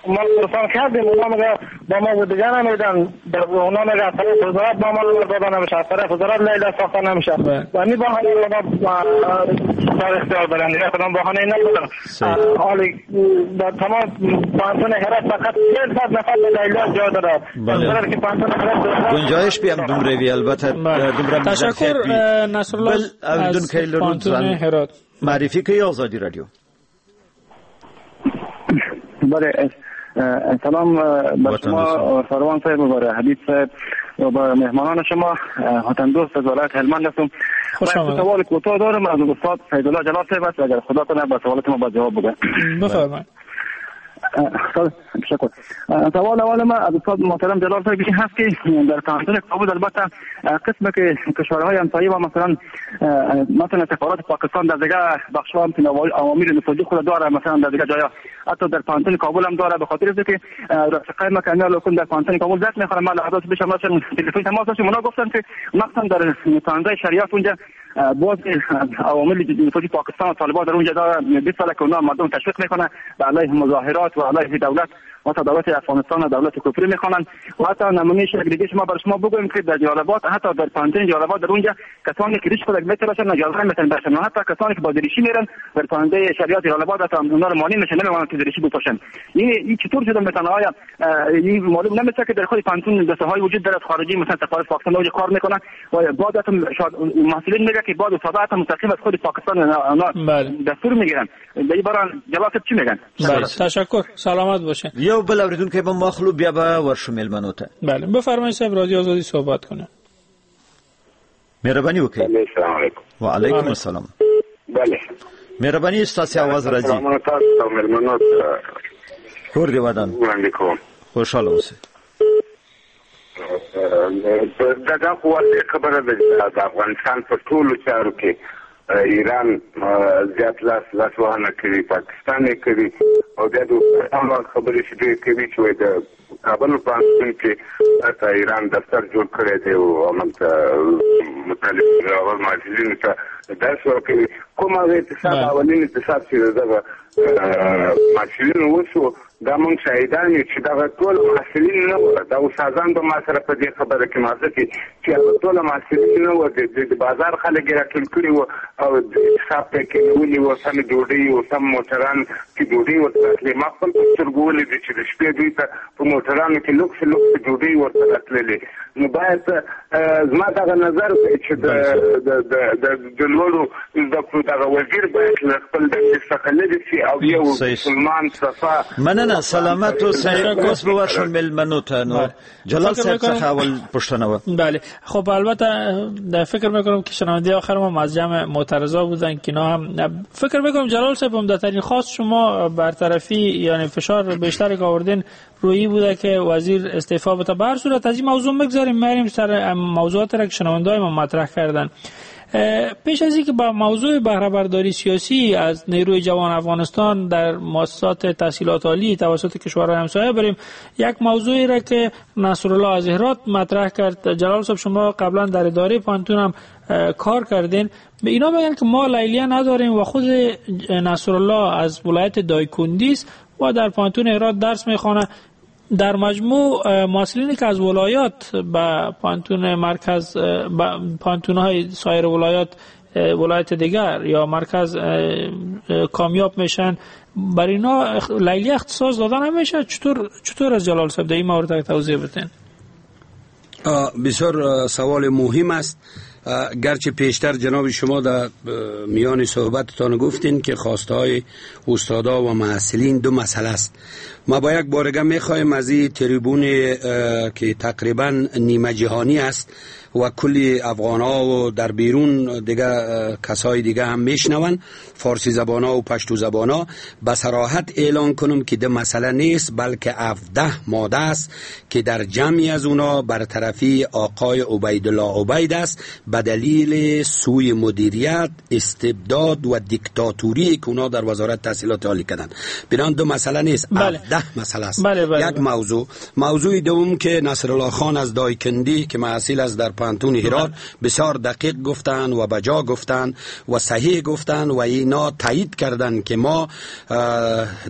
ما پرسان کردیم، اونا میگه با ما دیگه نمیدن، اونا میگه از طرف وزارت با ما داده نمیشه، از طرف وزارت لیلیه ساخته نمیشه. و می بهانه اونا در اختیار دارن دیگه، کدام بهانه ندارن. حالی در تمام پوهنتون هرات فقط 400 نفر لیلیه جا داره. بله. که پوهنتون هرات گنجایش بیم دومره وی البته دومره. تشکر نصرالله از پوهنتون هرات. معرفی کوي ازادي رادیو. بله، سلام بر شما سروان صاحب و بر حبیب صاحب و بر مهمانان شما. وطن دوست از ولایت هلمند هستم. خوش آمدید. سوال کوتاه دارم از استاد سیدالله جلال صاحب است، اگر خدا کنه با سوالات ما با جواب بده. بفرمایید. تشکر. سوال اول ما از استاد محترم جلال صاحب این هست که در پوهنتون کابل البته قسم که کشورهای همسایه و مثلا سفارت پاکستان در دیگه بخش‌ها هم عوامل نفوذی خود داره، مثلا در دیگه جایا حتی در پوهنتون کابل هم داره، به خاطر اینکه رفقای ما که لکن در پوهنتون کابل درس میخوانن، من لحظات پیش مثلا تلفن تماس داشتم، اونا گفتن که مثلا در پوهنتون شریعت اونجا باز عوامل نفوذی پاکستان و طالبان در اونجا داره 20 سال که اونا مردم تشویق میکنه به علیه مظاهرات و علیه دولت و دولت افغانستان و دولت کفری میخوانند. و حتی نمونه دیگه شما بر شما بگویم که در جلال آباد، حتی در پوهنتون جلال آباد در اونجا کسانی که ریش خود میتراشن اجازه نمیتن برشن، حتی کسانی که با دریشی میرن در پوهنتون شریعت جلال آباد حتی اونا رو مانع میشن، نمیمونن که دریشی بپوشن. این چطور شده مثلا؟ آیا این معلوم نمیشه که در خود پوهنتون دسته‌های وجود دارد خارجی، مثلا سفارت پاکستان اونجا کار میکنن و بعد حتی محصلین میگه که بعد صداقت مستقیم از خود پاکستان اونا دستور میگیرن. در این باره جلال چی میگن؟ تشکر، سلامت باشین. یو بل اوریدونکی به مخلو بیا به ورشو میلمنو ته. بله بفرمایید صاحب رادیو آزادی صحبت کنه. مهرباني وکړئ. السلام علیکم. و علیکم السلام. بله مهرباني، ستاسو आवाज راځي. سلامونه تاسو میلمنو ته. کور دی ودان. وړاندې کوم. خوشاله اوسئ. دا خو واضح خبره ده چې د افغانستان په ټولو چارو کې ایران زیات لاس وهنه کوي، پاکستان یې کوي، او بیا د خبرې چې دوی کوي چې وایي د کابل پوهنتون کې حتی ایران دفتر جوړ کړی دی او هملته مطالب او محصلینو ته درس ورکوي. کوم هغه اعتصاب، اولین اعتصاب چې دغه محصلینو وشو، دا موږ شاهدان یو چې دغه ټول محصلین نه وو، دا استادان به ما سره په دې خبره کې موافق دي چې هغه ټول محصلین نه وو، د بازار خلک یې راټول کړي وو او اعتصاب ته یې کېنولي وو، سمې ډوډۍ او سم موټران کې ډوډۍ ورته راتلې. ما خپل په سترګو ولیدې چې د شپې دوی ته په موټرانو کې لوکس لوکس ډوډۍ ورته راتللې. نو باید زما دغه نظر دی چې د لوړو زده کړو دغه وزیر باید له خپل دندې څخه لرې شي او یو مسلمان صفا. مننه، سلامت اوسئ. اوس به ورشم میلمنو ته. نو جلال صاحب څخه اول پوښتنه وه. بله خب البته فکر میکنم که شنونده آخر ما از جمع معترضا بودن که اینا هم فکر میکنم جلال صاحب عمده‌ترین خواست شما برطرفی یعنی فشار بیشتر که آوردین رویی بوده که وزیر استعفا بده. به هر صورت از این موضوع میگذریم، میریم سر موضوعات را که شنونده‌های ما مطرح کردن. پیش از اینکه با موضوع بهره برداری سیاسی از نیروی جوان افغانستان در مؤسسات تحصیلات عالی توسط کشورهای همسایه بریم، یک موضوعی را که نصرالله از هرات مطرح کرد. جلال صاحب شما قبلا در اداره پوهنتون هم کار کردین. به اینا میگن که ما لیلیه نداریم و خود نصرالله از ولایت دایکندی است و در پوهنتون هرات درس میخوانه. در مجموع محصلینی که از ولایات به پوهنتون مرکز، به پوهنتون‌های سایر ولایات ولایت دیگر یا مرکز کامیاب میشن، برای اینا لیلیه اختصاص دادن نمیشه. چطور از جلال صاحب در این مورد توضیح بدین؟ بسیار سوال مهم است. گرچه پیشتر جناب شما در میان صحبتتان گفتین که خواسته های استادا و محصلین دو مسئله است. ما با یک بارگه میخوایم از این تریبون که تقریبا نیمه جهانی است و کلی افغان ها و در بیرون دیگه کسای دیگه هم میشنون، فارسی زبان ها و پشتو زبان ها، به صراحت اعلان کنم که ده مسئله نیست، بلکه 17 ماده است که در جمعی از اونا برطرفی آقای عبیدالله عبید است به دلیل سوی مدیریت، استبداد و دیکتاتوری که اونا در وزارت تحصیلات عالی کردن. بنابراین دو مسئله نیست، بله. 17 مسئله است. بله بله. یک موضوع. موضوع دوم که نصرالله خان از دایکندی که محصل از در پانتون هرات بسیار دقیق گفتن و بجا گفتن و صحیح گفتن و اینا تایید کردن که ما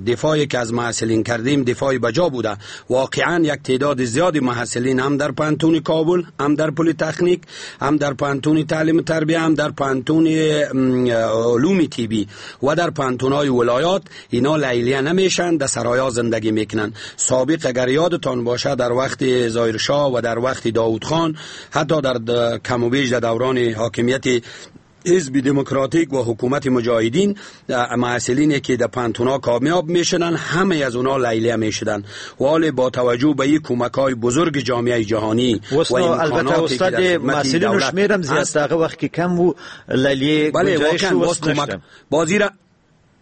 دفاعی که از محصلین کردیم دفاع بجا بوده. واقعا یک تعداد زیادی محصلین هم در پانتون کابل، هم در پلی تکنیک، هم در پانتون تعلیم و تربیه، هم در پانتون علوم طبی و در پانتون‌های ولایات اینا لیلیه نمیشن، در سرایا زندگی میکنن. سابق اگر یادتان باشه در وقت ظاهرشاه و در وقت داوود خان، حتی در کم و بیش در دوران حاکمیت حزب دموکراتیک و حکومت مجاهدین، محصلینی که در پانتونا کامیاب میشدن همه از اونا لیلیه میشدن. ولی با توجه به این کمک‌های بزرگ جامعه جهانی و البته استاد محصلینو شمیرم زیاد هغه وخت کې کم وو لیلیه گنجایش باز بازی را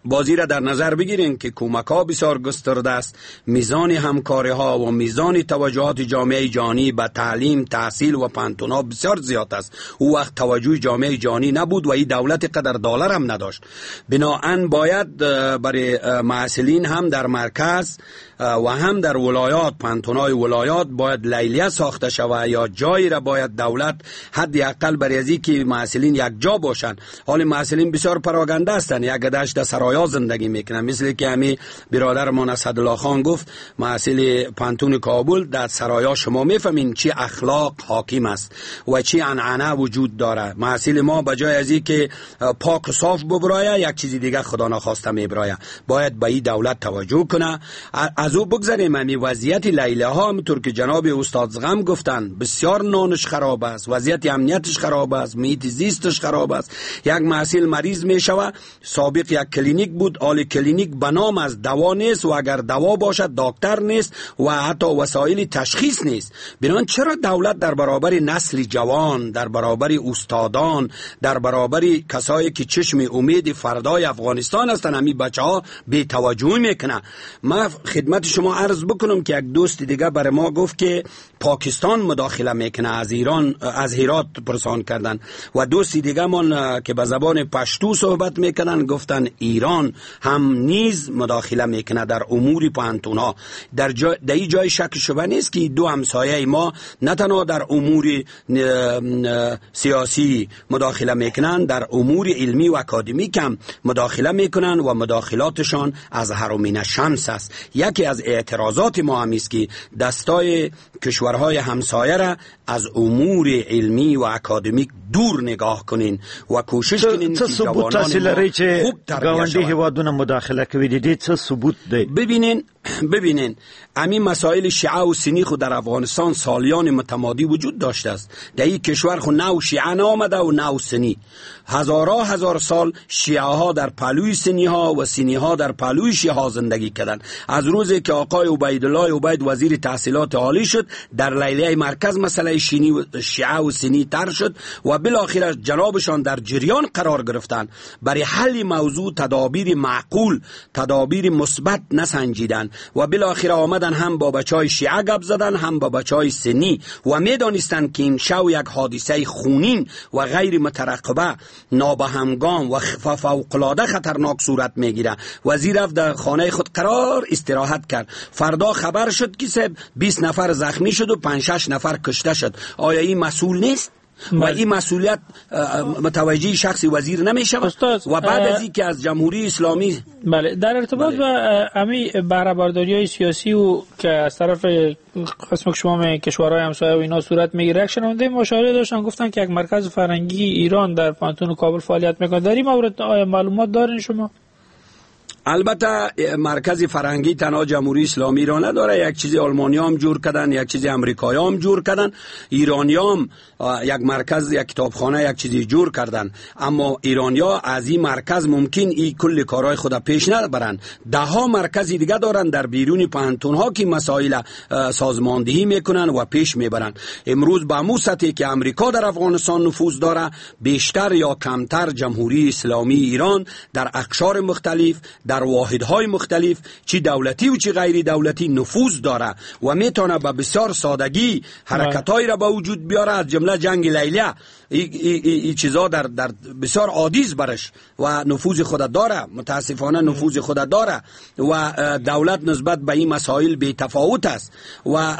بازی را در نظر بگیریم که کمک ها بسیار گسترده است، میزان همکاری ها و میزان توجهات جامعه جهانی به تعلیم، تحصیل و پانتون ها بسیار زیاد است. او وقت توجه جامعه جهانی نبود و این دولت قدر دلار هم نداشت. بناهن باید برای محصلین هم در مرکز و هم در ولایات، پانتونای ولایات باید لیلیه ساخته شود یا جایی را باید دولت حداقل برای از که محصلین یک جا باشند. حال محصلین بسیار پراگنده هستند، یک دشت در سرایا زندگی میکنن، مثل که همی برادرمان اسدالله خان گفت محصل پانتون کابل در سرایا شما میفهمین چی اخلاق حاکم است و چی عنعنه وجود داره. محصل ما بجای از که پاک و صاف ببرایه یک چیزی دیگه خدا نخواسته میبرایه. باید به این دولت توجه کنه. از او بگذاریم همی وضعیت لیله ها همونطور که جناب استاد زغم گفتن بسیار نانش خراب است، وضعیت امنیتش خراب است، محیط زیستش خراب است. یک محصل مریض میشوه، سابق یک کلینیک بود، آل کلینیک به نام از دوا نیست و اگر دوا باشد دکتر نیست و حتی وسایل تشخیص نیست. بنابراین چرا دولت در برابر نسل جوان، در برابر استادان، در برابر کسایی که چشم امید فردای افغانستان هستند همین بچه‌ها بی توجهی میکنه؟ ما خدمت شما عرض بکنم که یک دوست دیگه برای ما گفت که پاکستان مداخله میکنه، از ایران از هرات پرسان کردن، و دوستی دیگه من که به زبان پشتو صحبت میکنن گفتن ایران هم نیز مداخله میکنه در امور پانتونا. در این جای شک شبه نیست که دو همسایه ما نه تنها در امور سیاسی مداخله میکنن، در امور علمی و اکادمیک هم مداخله میکنن و مداخلاتشان از حرمین شمس است. یکی از اعتراضات ما هم است که دستای کشورهای همسایه را از امور علمی و اکادمیک دور نگاه کنین و کوشش کنین که جوانان ما خوب تربیه شوند. هیوادونه مداخله کوي، د دې څه ثبوت دی؟ ببینین همین مسائل شیعه و سنی خود در افغانستان سالیان متمادی وجود داشته است. در این کشور خود نه شیعه نامده و نه سنی. هزارها هزار سال شیعه ها در پلوی سنی ها و سنی ها در پلوی شیعه ها زندگی کردند. از روزی که آقای عبیدالله عبید وزیر تحصیلات عالی شد، در لیلیه مرکز مسئله شیعه و سنی تر شد و بالاخره جنابشان در جریان قرار گرفتند. برای حل موضوع تدابیر معقول، تدابیر مثبت نسنجیدند و بالاخره آمدن هم با بچهای شیعه گپ زدن، هم با بچهای سنی، و میدانستند که این شو یک حادثه خونین و غیر مترقبه، نابهمگام و فوق‌العاده خطرناک صورت میگیره. وزیر رفت در خانه خود قرار استراحت کرد. فردا خبر شد که 20 نفر زخمی شد و 5-6 نفر کشته شد. آیا این مسئول نیست؟ و این مسئولیت متوجه شخص وزیر نمی شود و بعد از اینکه از جمهوری اسلامی. بله، در ارتباط با امی بهره برداری سیاسی و که از طرف قسم که شما کشورهای همسایه و اینا صورت میگیره، یک شنونده مشاوره داشتن گفتن که یک مرکز فرهنگی ایران در پوهنتون کابل فعالیت میکنه. در این مورد آیا معلومات دارین شما؟ البته مرکز فرهنگی تنها جمهوری اسلامی را نداره، یک چیزی آلمانی هم جور کردن، یک چیزی امریکایی هم جور کردن، ایرانی هم یک مرکز، یک کتابخانه، یک چیزی جور کردن، اما ایرانیا از این مرکز ممکن این کل کارهای خود پیش نبرن. ده ها مرکز دیگه دارن در بیرون پوهنتون ها که مسائل سازماندهی میکنن و پیش میبرن. امروز به مو سطحی که امریکا در افغانستان نفوذ داره، بیشتر یا کمتر جمهوری اسلامی ایران در اقشار مختلف، در واحدهای مختلف، چی دولتی و چی غیری دولتی نفوذ داره و میتونه به بسیار سادگی حرکت‌هایی را به وجود بیاره، از جمله جنگ لیلیه. ای چیزا در بسیار عادی است برش و نفوذ خود داره، متاسفانه نفوذ خود داره و دولت نسبت به این مسائل بی تفاوت است. و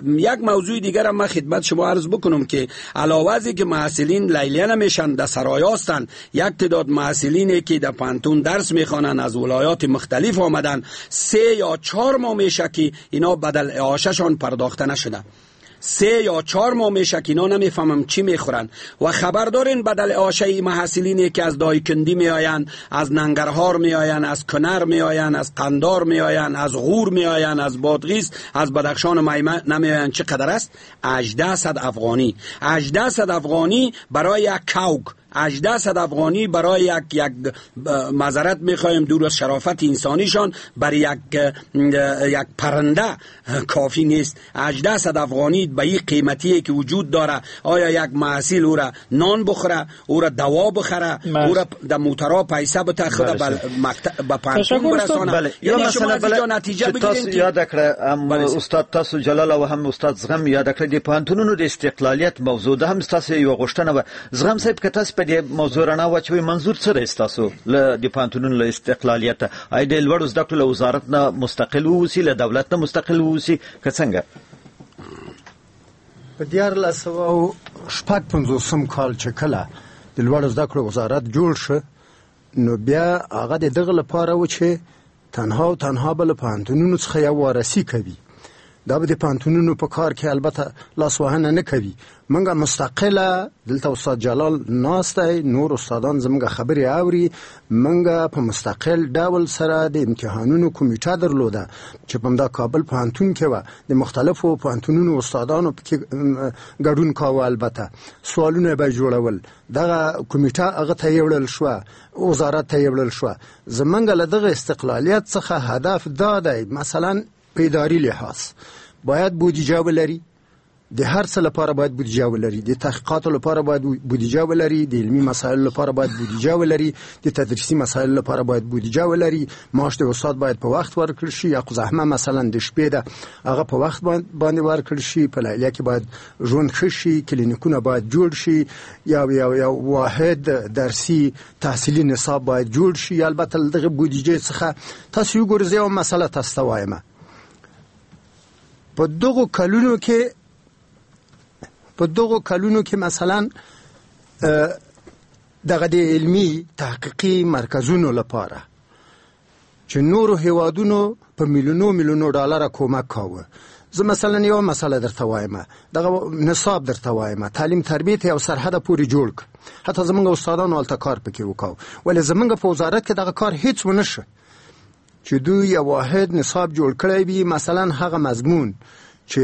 یک موضوع دیگر هم من خدمت شما عرض بکنم که علاوه از که محصلین لیلیه نمیشن، در سرای هستند، یک تعداد محصلینی که در پانتون درس میخوانن از ولایات مختلف آمدن، 3 یا 4 ماه میشه که اینا بدل اعاشه‌شان پرداخته نشده. 3 یا 4 ماه میشه که اینا نمیفهمم چی میخورن و خبر دارین بدل اعاشه محصلینی که از دایکندی میآیند، از ننگرهار میآیند، از کنر میآیند، از قندار میآیند، از غور میآیند، از بادغیس، از بدخشان و میمه نمیآیند، چقدر است؟ 1800 افغانی. 1800 افغانی برای یک کوک، 1800 افغانی برای یک معذرت میخوایم دور از شرافت انسانیشان، برای یک پرنده کافی نیست. 1800 افغانی به این قیمتیه که وجود داره، آیا یک محصول او را نان بخوره، او را دوا بخره، او را در موترا پیسه بته، خود به پانتون برسانه؟ بله. یعنی شما از اینجا نتیجه بگیریم که یاد کړه هم استاد تاسو جلال او هم استاد زغم یاد کړه د پوهنتونونو د استقلالیت موضوع ده، هم تاسو یو غوښتنه وه. زغم صاحب که تاسو په دې موضوع رڼا واچوي، منظور څه دی ستاسو له د پوهنتونونو له استقلالیته؟ آیا د لوړو زده کړو له وزارت نه مستقل واوسي، له دولت نه مستقل واوسي، که څنګه؟ په 1356 کال چې کله د لوړو زده کړو وزارت جوړ شو، نو بیا هغه د دغه لپاره و چې تنها او تنها به له پوهنتونونو څخه یو وارثي کوي. دا به د پوهنتونونو په کار کې البته لاسوهنه نه کوي. موږ مستقله دلته استاد جلال ناست دی، نور استادان زموږ خبرې اوري. موږ په مستقل ډول سره د امتحانونو کمیټه درلوده چې په همدا کابل پوهنتون کې وه، د مختلفو پوهنتونونو استادانو پکې ګډون کاوه. البته سوالونه به جوړول، دغه کمیټه هغه ته یوړل شوه، وزارت ته یوړل شوه. زموږ له دغه استقلالیت څخه هدف دا دی، مثلا په اداري لحاظ باید بودیجه ولري، د هر څه لپاره باید بودیجه ولري، د تحقیقاتو لپاره باید بودیجه ولري، د علمي مسایلو لپاره باید بودیجه ولري، د تدریسي مسایلو لپاره باید بودیجه ولري، معاش د استاد باید په وخت ورکړل شي، یا زحمه مثلا د شپې ده هغه په وخت باندې ورکړل شي، په لیلیه کې باید ژوند ښه شي، کلینیکونه باید جوړ شي، یا یو واحد درسي تحصیلي نصاب باید جوړ شي. البته له دغه بودیجې څخه تاسو وګورئ، زه یوه مسله تاسو ته وایم. په دغو کلونو کې مثلا دغه د علمي تحقیقي مرکزونو لپاره چې نورو هیوادونو په میلیونو میلیونو ډالر کومک کاوه، زه مثلا یو مسله درته وایم، دغه نصاب درته وایم، تعلیم تربیت یو سرحده پورې جوړ کړ، حتی زمونږ استادانو هلته کار پکې وکاو، ولې زمونږ په وزارت کې دغه کار هیڅ ونه شو چې دوی یو واحد نصاب جوړ کړی وي. مثلا هغه مضمون چې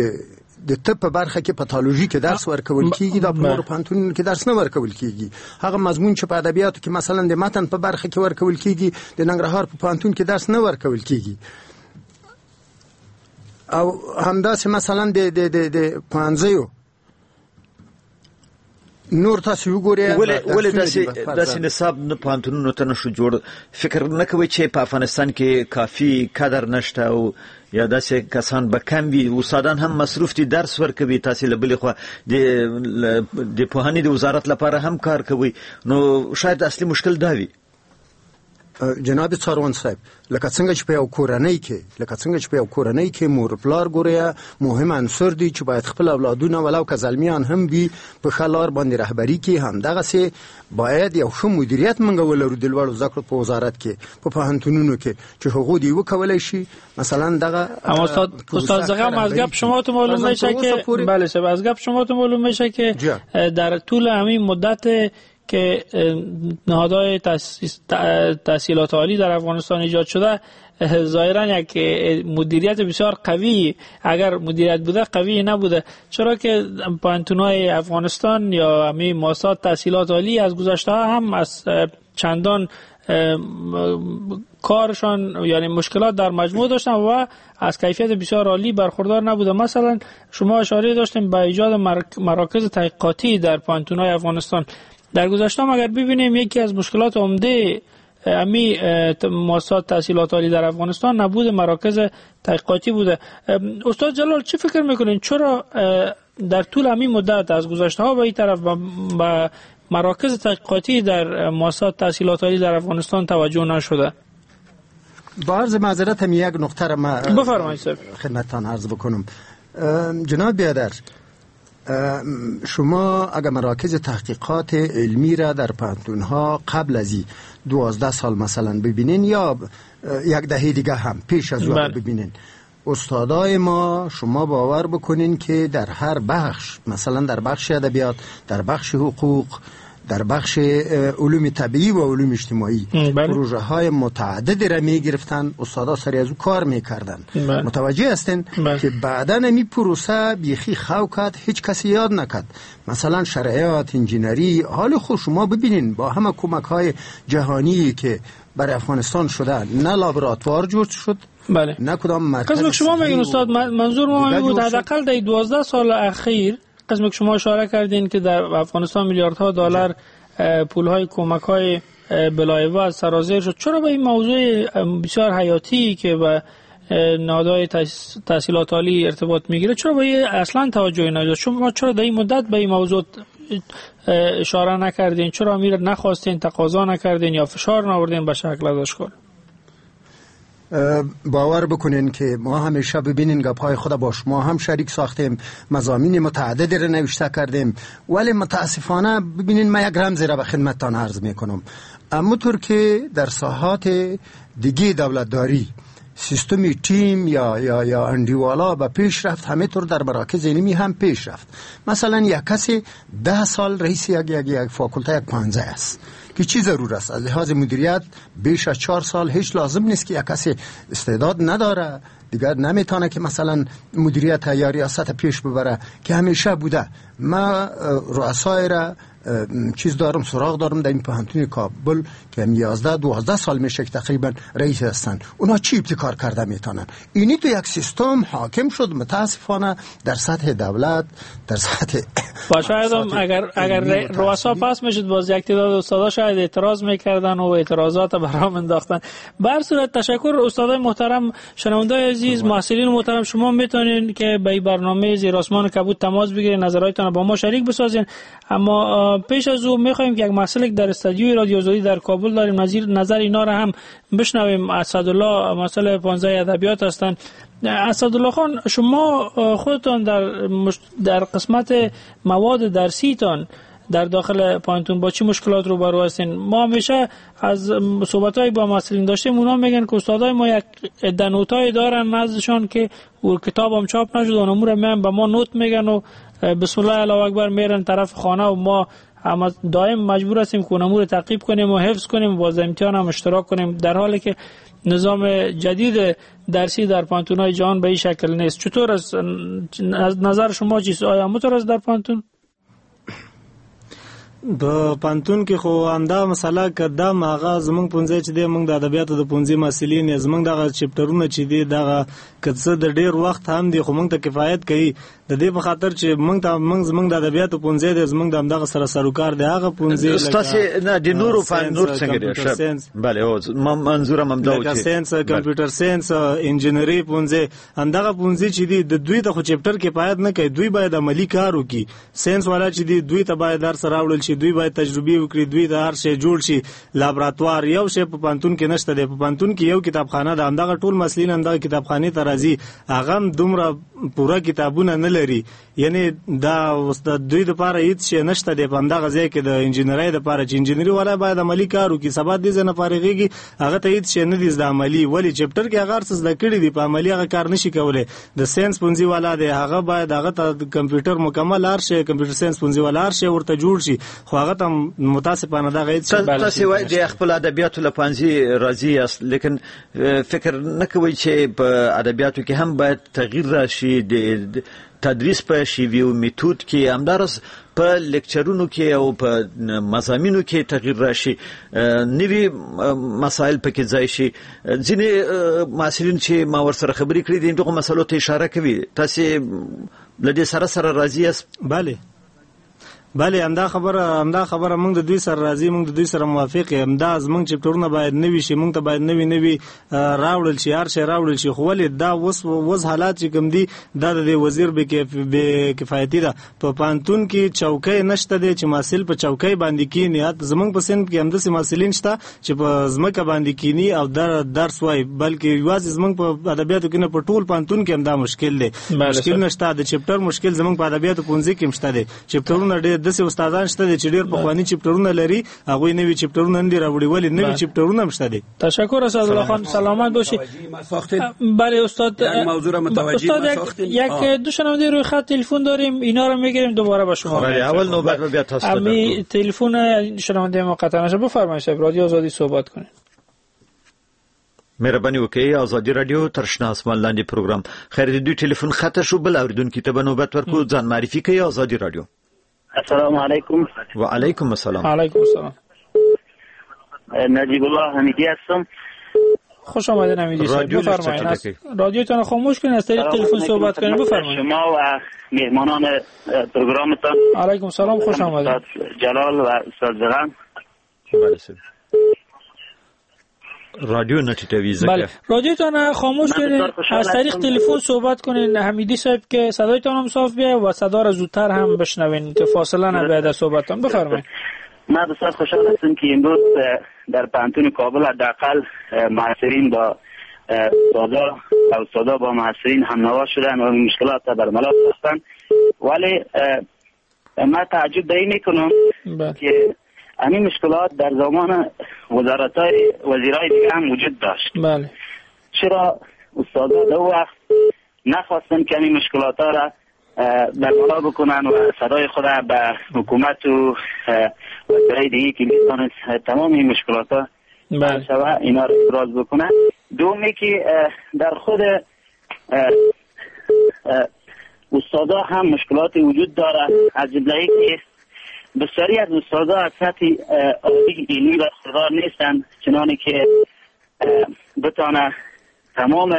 د طب په برخه کې پاتولوژي کې درس ورکول کیږي، دا په نورو پوهنتونونو کې درس نه ورکول کیږي. هغه مضمون چې په ادبیاتو کې مثلا د متن په برخه کې ورکول کیږي، د ننګرهار په پوهنتون کې درس نه ورکول کیږي. او همداسې مثلا د د د د پوهنځیو نور تاسو وګورئ. ولې داسې نصاب نه پوهنتونونو ته نشو جوړ؟ فکر نه کوئ چې په افغانستان کې کافي کادر نشته او یا داسې کسان به کم وي، استادان هم مصروف دي، درس ورکوي، تاسې له بلې خوا د پوهنې د وزارت لپاره هم کار کوئ، نو شاید اصلي مشکل دا وي. جناب څاروان صاحب، لکه څنګه چې په یو کورنۍ کې، لکه څنګه چې په یو کورنۍ کې مور پلار ګوریا مهم عنصر دی چې باید خپل اولادونه ولو که زلمیان هم وي په ښه لار باندې رهبري کړي، همدغسې باید یو ښه مدیریت موږ ولرو د لوړو زده کړو په وزارت کې، په پوهنتونونو کې، چې هغو دې وکولای شي مثلا دغه. اما استاد زغم، از گپ شما تو معلوم میشه که بله صاحب، از گپ شما تو معلوم میشه که در طول همین مدت که نهادهای تحصیلات عالی در افغانستان ایجاد شده، ظاهرا یک مدیریت بسیار قوی، اگر مدیریت بوده قوی نبوده، چرا که پوهنتون‌های افغانستان یا همین مؤسسات تحصیلات عالی از گذشته هم از چندان کارشان یعنی مشکلات در مجموع داشتن و از کیفیت بسیار عالی برخوردار نبوده. مثلا شما اشاره داشتیم به ایجاد مراکز تحقیقاتی در پوهنتون‌های افغانستان. در گذشته هم اگر ببینیم یکی از مشکلات عمده امی مؤسسات تحصیلات عالی در افغانستان نبود مراکز تحقیقاتی بوده. استاد جلال چی فکر میکنین چرا در طول همین مدت از گذشته ها به این طرف به مراکز تحقیقاتی در مؤسسات تحصیلات عالی در افغانستان توجه نشده؟ با عرض معذرت هم یک نقطه را ما بفرمایید خدمتتان عرض بکنم. جناب بیادر، شما اگر مراکز تحقیقات علمی را در پوهنتون‌ها قبل از 12 سال مثلا ببینین یا یک دهه دیگه هم پیش از او ببینین، استادای ما شما باور بکنین که در هر بخش، مثلا در بخش ادبیات، در بخش حقوق، در بخش علوم طبیعی و علوم اجتماعی پروژه های متعدد را می گرفتن، استادا سری از او کار می کردن. متوجه هستین که بعداً می پروسه بیخی خو کرد، هیچ کسی یاد نکرد. مثلا شرعیات، انجینری، حال خود شما ببینین با همه کمک های جهانی که برای افغانستان شده، نه لابراتوار جور شد، بله، نه کدام مرکز. قسم شما میگین استاد، منظور ما این بود حداقل در 12 سال اخیر، قسم که شما اشاره کردین که در افغانستان میلیاردها دلار پولهای کمک‌های بلایوه سرازیر شد، چرا به این موضوع بسیار حیاتی که به نهادهای تحصیلات عالی ارتباط میگیره چرا به این اصلا توجهی نشد؟ شما چرا در این مدت به این موضوع اشاره نکردین؟ چرا امیر نخواستین، تقاضا نکردین یا فشار نآوردین به شکل ازش کار؟ باور بکنین که ما همیشه ببینین گپ‌های خود با شما هم شریک ساختیم، مضامین متعدد را نوشته کردیم، ولی متاسفانه ببینین من یک رمزی را به خدمتتان عرض میکنم. اما طور که در ساحات دیگه دولتداری سیستم تیم یا یا یا اندیوالا به پیش رفت، همینطور در مراکز علمی هم پیش رفت. مثلا یک کسی 10 سال رئیس یک یک یک فاکولته یک پانزه است که چی ضرور است؟ از لحاظ مدیریت بیش از 4 سال هیچ لازم نیست که یک کسی استعداد نداره دیگر نمیتونه که مثلا مدیریت یا ریاست پیش ببره که همیشه بوده. ما رؤسای را چیز دارم، سراغ دارم در این پوهنتون کابل که 11 12 سال میشه که تقریبا رئیس هستن، اونا چی ابتکار کرده میتونن؟ اینی تو یک سیستم حاکم شد متاسفانه در سطح دولت، در سطح با شاید اگر رؤسا پاس میشد باز یک تعداد استادا شاید اعتراض میکردن و اعتراضات برام انداختن. به هر صورت تشکر استادای محترم، شنوندای عزیز، محصلین محترم، شما میتونین که به این برنامه زیر آسمان کبود تماس بگیرین، نظراتتون با ما شریک بسازین. اما پیش از او میخوایم که یک محصل در استودیوی رادیو آزادی در کابل داریم، نظر اینا را هم بشنویم. اسدالله محصل 15 ادبیات هستند. اسدالله خان، شما خودتان در قسمت مواد درسیتان در داخل پوهنتون با چی مشکلات روبرو هستین؟ ما همیشه از صحبت‌های با محصلین داشتیم، اونا میگن که استادای ما یک عده نوتای دارن نزدشان که او کتاب هم چاپ نشد، اونم رو میان به ما نوت میگن و بسم الله الله اکبر میرن طرف خانه و ما دائم مجبور هستیم که اونم رو تعقیب کنیم و حفظ کنیم و باز امتحان هم اشتراک کنیم، در حالی که نظام جدید درسی در پوهنتون‌های جهان به این شکل نیست. چطور از نظر شما چیست؟ آیا همونطور است در پوهنتون؟ په پوهنتون کې خو همدا مسله که دا هغه زمونږ پوهنځی چې دی، موږ د ادبیاتو د پوهنځي محصلین یو، زمونږ دغه چپټرونه چې دي دغه که څه د ډېر وخت هم دی خو موږ ته کفایت کوي، د دې په خاطر چې موږ ته زمونږ د ادبیاتو پوهنځی دی، زمونږ د همدغه سره سروکار دی. هغه پوهنځی ستاسې نه د نورو نور څنګه دی؟ بله، منظورم همدا و چې ساینس، کمپیوټر ساینس، انجینری پوهنځی، همدغه پوهنځي چې دي د دوی ته خو چپټر کفایت نه کوي، دوی باید عملي کار وکړي. ساینس والا چې دي دوی ته باید درس راوړل شي، دوی باید تجربې وکړي، دوی د هر شی جوړ شي. لابراتوار یو شی په پوهنتون کې نشته دی. په پوهنتون کې یو کتابخانه ده، همدغه ټول مسلین همدغه کتابخانې ته راځي، هغه هم دومره پوره کتابونه نه لري. یعنی دا اوس د دوی دپاره هیڅ شی نشته دی په همدغه ځای کې د انجینرۍ دپاره، چې انجینري والا باید عملي کار وکړي، سبا دې ځای نه فارغېږي هغه ته هیڅ شی نه دي زده عملي. ولې chapter کې هغه هر څه زده کړي دي، په عملي هغه کار نشي کولی. د ساینس پوهنځي والا دی، هغه باید هغه ته کمپیوټر مکمل هر شی، کمپیوټر ساینس پوهنځي والا هر شی ورته جوړ شي، خو هغه ته متاسفانه دغه هیڅ شی. تاسې وایئ د خپل ادبیاتو له پوهنځي راضي یاست، لیکن فکر نه کوئ چې په ادبیاتو کې هم باید تغییر راشي، د تدریس په شیوې او میتود کې، همداراز په لیکچرونو کې او په مضامینو کې تغییر راشي، نوي مسایل پکې ځای شي؟ ځینې محصلین چې ما ورسره خبرې کړې دي دغو مسلو ته اشاره کوي. تاسې له دې سره سره راضي یاست؟ بله بله، همدا خبره موږ د دوی سره راضي، موږ د دوی سره موافق یم. همدا زموږ چپټرونه باید نوي شي، موږ ته باید نوي راوړل شي، هر شی راوړل شي. خو ولې دا اوس حالات چې کوم دي، دا د وزیر بې کفایتي ده. په پوهنتون کې چوکۍ نشته دی چې محصل په چوکۍ باندې کینی. حتی زموږ په صنف کې همداسې محصلین شته چې په ځمکه باندې کینی او درس وایي، بلکې یوازې زموږ په ادبیاتو کې نه، په ټول پوهنتون کې همدا مشکل دی. مشکل نشته د چپټر مشکل زموږ په ادبیاتو پوهنځي کې هم شته دی. چپټرونه ډېر داسې استادان شته دي چې ډېر پخواني چپټرونه لري، هغوی نوي چپټرونه نه دي راوړي. ولې نوي چپټرونه هم شته دي. تشکر اسدالله خان، سلامت باشی. بله استاد، موضوع را متوجه استاد یک دو شنونده روی خط تلفن داریم، اینا رو میگیریم دوباره با شما. اول نوبت رو بیا تاسو امی تلفن شنونده ما قطع نشه. بفرمایید صاحب، رادیو آزادی صحبت کنید. مهرباني وکړئ، ازادي رادیو تر شنه اسمان لاندې پروګرام. خیر د دوی تلفن خطر شو، بل اوریدونکي ته به نوبت ورکړو. ځان معرفي کوي. ازادي رادیو. السلام علیکم. و علیکم السلام. علیکم السلام. نجیب الله حمیدی هستم. خوش آمدید حمیدی صاحب، بفرمایید. رادیوتون خاموش کنید، از طریق تلفن صحبت کنید. بفرمایید. شما و مهمانان پروگرامتان. علیکم السلام، خوش آمدید. جلال و استاد زغم. بله صاحب. رادیو نه ټیټوي ځکه. بله، رادیوتون خاموش کنید، از طریق تلفن صحبت کنین حمیدی صاحب که صدایتان هم صاف بیاید و صدا را زودتر هم بشنوین که فاصله نباید از صحبتتان. بفرمایید. من بسیار خوشحال هستم که امروز در پوهنتون کابل حداقل محصلین با استادا و استادا با محصلین همنوا شدن و مشکلات برملا ساختن. ولی من تعجب به این میکنم که همین مشکلات در زمان وزارت‌های وزیرای دیگه هم وجود داشت. بله. چرا استادا دو وقت نخواستن که همین مشکلات ها را برملا بکنن و صدای خود به حکومت و وزیرای دیگه که میتونست تمام این مشکلات ها بله اینا را ابراز بکنن. دومی که در خود استادا هم مشکلات وجود داره، از جمله که بسیاری از استادا از سطح عالی علمی برخوردار نیستند چنانی که بتانه تمام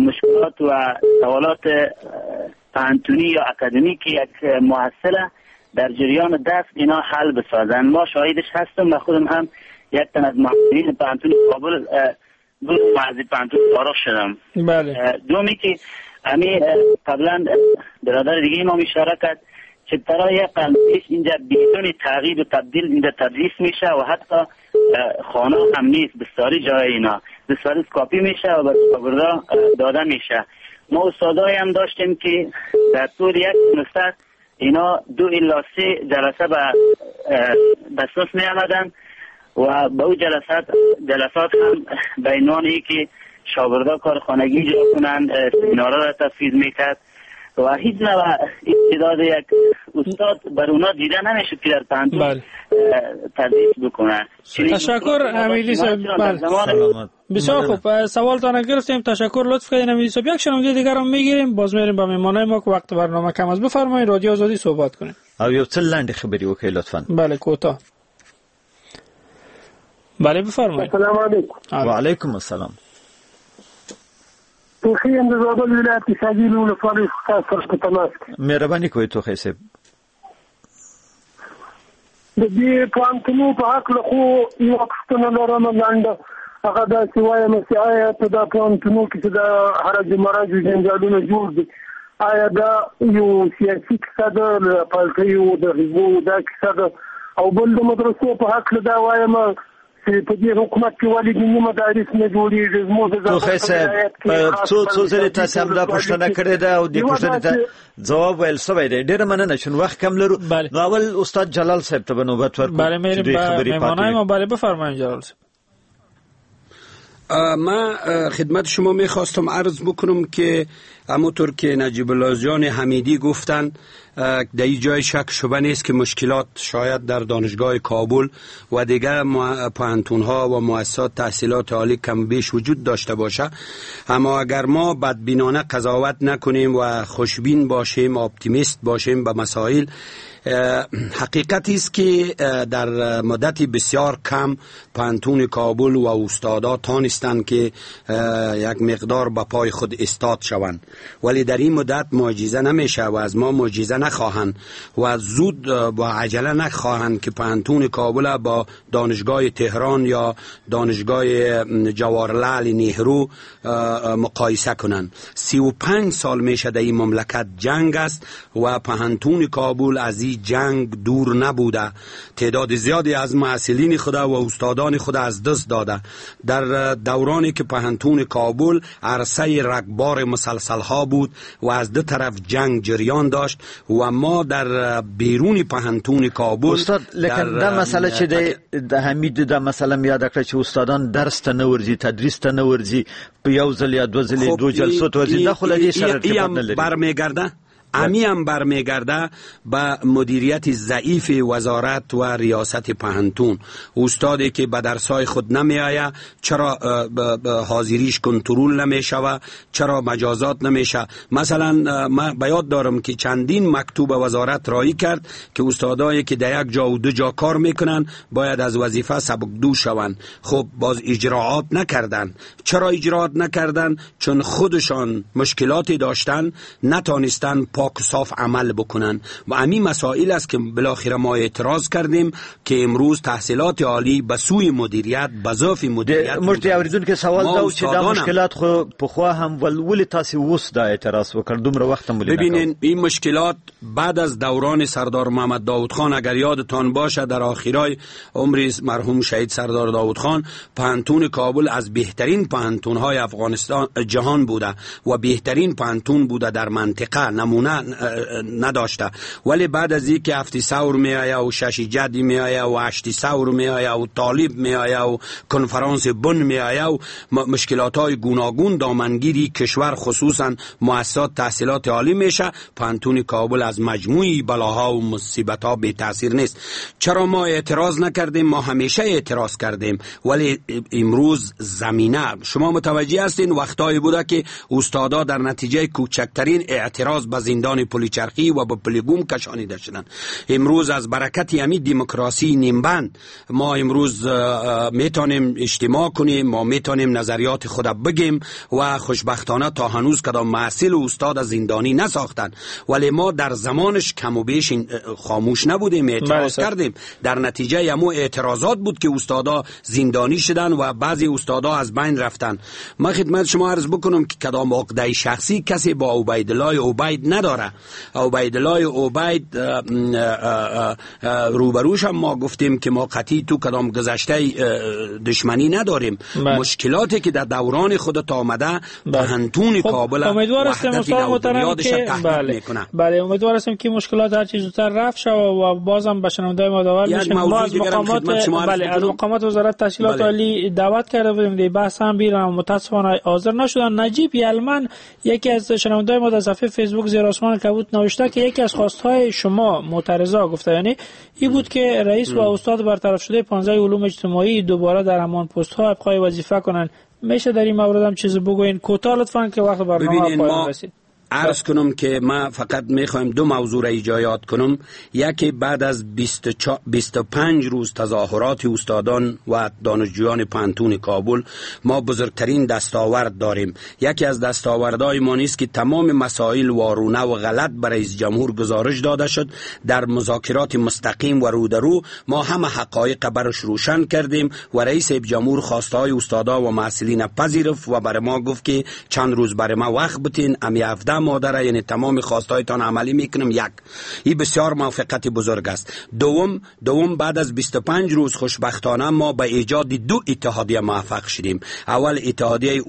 مشکلات و سوالات پوهنتونی یا اکادمیک یک محصل در جریان درس اینا حل بسازن. ما شاهدش هستم و خودم هم یک تن از محصلین پوهنتون کابل بود و از پوهنتون فارغ شدم. بله. دومی که امی قبلا برادر دیگه ما اشاره کرد که برای یک قرن پیش اینجا بدون تغییر و تبدیل اینجا تدریس میشه و حتی خانه هم نیست، بسیاری جای اینا بسیاری کاپی میشه و به شاگردا داده میشه. ما استادایی هم داشتیم که در طول یک سمستر اینا 2 الی 3 جلسه به صنف می آمدن و به او جلسات هم به عنوان که شاگردا کار خانگی اجرا کنند، سمینارها را تفویض میکرد و هیچ نوع استعداد یک استاد بر اونا دیده نمیشد که در پوهنتون تدریس بکنه. تشکر حمیدی صاحب. بله. بسیار خوب، سوالتان گرفتیم، تشکر، لطف کردین حمیدی صاحب. یک شنونده دیگر هم میگیریم، باز میریم با مهمانای ما که وقت برنامه کم است. بفرمایید، رادیو آزادی صحبت کنیم. او یو څه لنډې خبرې وکړئ لطفاً. بله، کوتاه. بله بفرمایید. السلام علیکم. و علیکم السلام. توخی یم د زابل ولایت د شاګیل ولسوالۍ څخه تاسو سره په تماس کې. مهرباني کوئ توخی صاحب. د دې پوهنتونو په هکله خو یوه پوښتنه لرم لنډه، هغه داسې وایم چې آیا په دا پوهنتونو کې چې دا هرج و مرج و جنجالونه جوړ دي، آیا دا یو سیاسي کیسه ده، له پالټیو د حزبو دا کیسه ده، او بل د مدرسو په هکله دا وایم چې په دې حکومت کې ولې دیني مدارس نه جوړېږي. زموږ د توخی صاحب څو څو ځلې تاسې همدا پوښتنه کړې ده او دې پوښتنې ته ځواب ویل شوی دی. ډېره مننه چون وخت کم لرو. نو اول استاد جلال صاحب ته به نوبت ورکړو. بله میریم به مهمانای ما. بله بفرمایید جلال صاحب. من خدمت شما میخواستم عرض بکنم که همونطور که نجیب الله جان حمیدی گفتن در این جای شک شبه نیست که مشکلات شاید در دانشگاه کابل و دیگر پوهنتون‌ها و مؤسسات تحصیلات عالی کم بیش وجود داشته باشه، اما اگر ما بدبینانه قضاوت نکنیم و خوشبین باشیم، اپتیمیست باشیم به مسائل، حقیقتی است که در مدت بسیار کم پوهنتون کابل و استادا تانستند که یک مقدار به پای خود استاد شوند، ولی در این مدت معجزه نمیشه و از ما معجزه نخواهند و زود با عجله نخواهند که پوهنتون کابل با دانشگاه تهران یا دانشگاه جواهرلال نهرو مقایسه کنند. 35 سال میشه در این مملکت جنگ است و پوهنتون کابل از این جنگ دور نبوده. تعداد زیادی از محصلین خود و استادان خود از دست داده. در دورانی که پوهنتون کابل عرصه رگبار مسلسل ها بود و از دو طرف جنگ جریان داشت و ما در بیرون پوهنتون کابل استاد لیکن دا مسئله چې د حمید دا مسئله یاد کړه چې استادان درس ته نه ورځي، تدریس ته نه ورځي، په یو ځل یا دوه ځلې دوه جلسو ته ورځي، دا خو له دې سره ارتباط نه لري. برمیگرده امی هم برمیگرده به مدیریت ضعیف وزارت و ریاست پوهنتون. استادی که به درسای خود نمی آید، چرا حاضریش کنترل نمیشوه، چرا مجازات نمیشه؟ مثلا من به یاد دارم که چندین مکتوب وزارت رایی کرد که استادایی که در یک جا و دو جا کار میکنن باید از وظیفه سبکدو شوند. خب باز اجراعات نکردن. چرا اجراعات نکردن؟ چون خودشان مشکلاتی داشتن، نتانستن پاک صاف عمل بکنن و همین مسائل است که بالاخره ما اعتراض کردیم که امروز تحصیلات عالی به سوی مدیریت، به ضعف مدیریت. موږ د اوریدونکو سوال دا و چې دا مشکلات خو پخوا هم ول، ولې تاسو اوس دا اعتراض وکړ؟ دومره وخت هم ولې؟ ببینین این مشکلات بعد از دوران سردار محمد داود خان، اگر یادتان باشه در آخرای عمر مرحوم شهید سردار داود خان، پوهنتون کابل از بهترین پوهنتون‌های افغانستان جهان بوده و بهترین پوهنتون بوده در منطقه، نمونه نداشته. ولی بعد از اینکه 7 ثور می آید و 6 جدی می آید و 8 ثور می آید و طالب می آید و کنفرانس بن می آید و مشکلات های گوناگون دامنگیری کشور خصوصا مؤسسات تحصیلات عالی میشه، پوهنتون کابل از مجموعی بلاها و مصیبت ها بی تاثیر نیست. چرا ما اعتراض نکردیم؟ ما همیشه اعتراض کردیم، ولی امروز زمینه شما متوجه هستین وقتایی بوده که استادا در نتیجه کوچکترین اعتراض به زندان پلیچرخی و به پلیگوم کشانیده شدند. امروز از برکت همین دموکراسی نیمبند ما امروز میتونیم اجتماع کنیم، ما میتونیم نظریات خود بگیم و خوشبختانه تا هنوز کدام محصل و استاد زندانی نساختن، ولی ما در زمانش کم و بیش خاموش نبودیم، اعتراض کردیم. در نتیجه همو اعتراضات بود که استادا زندانی شدن و بعضی استادا از بین رفتن. من خدمت شما عرض بکنم که کدام عقده شخصی کسی با عبیدالله عبید نداره. عبیدالله عبید روبروش هم ما گفتیم که ما قطعی تو کدام گذشته دشمنی نداریم. مشکلاتی که در دوران خودت آمده پوهنتون کابل امیدوار هستیم استاد محترم که بله امیدوار هستیم که مشکلات هر چیز زودتر رفع شود و بازم به شنونده‌های ما داور بشیم. ما از مقامات بله از مقامات وزارت تحصیلات عالی دعوت کرده بودیم، دی بحث هم بیرون متاسفانه حاضر نشدن. نجیب یلمن یکی از شنونده‌های ما در صفحه فیسبوک زیر آسمان کبود نوشته که یکی از خواست‌های شما معترضا گفته یعنی این بود که رئیس و استاد برطرف شده 15 علوم اجتماعی دوباره در همان پست‌ها ابقای وظیفه کنند. میشه در این مورد هم چیزی بگوین کوتاه لطفاً که وقت برنامه پایان رسید؟ عرض کنم که ما فقط میخوایم دو موضوع را ایجاد کنم. یکی بعد از 25 روز تظاهرات استادان و دانشجویان پوهنتون کابل ما بزرگترین دستاورد داریم. یکی از دستاوردهای ما نیست که تمام مسائل وارونه و غلط برای رئیس جمهور گزارش داده شد. در مذاکرات مستقیم و رو در رو ما همه حقایق برش روشن کردیم و رئیس جمهور خواستهای استادا و محصلین پذیرفت و برای ما گفت که چند روز برای ما وقت بتین، امی 17 ماده یعنی تمام خواستهایتان عملی میکنم. یک، این بسیار موافقت بزرگ است. دوم بعد از 25 روز خوشبختانه ما به ایجاد دو اتحادیه موفق شدیم. اول اتحادیه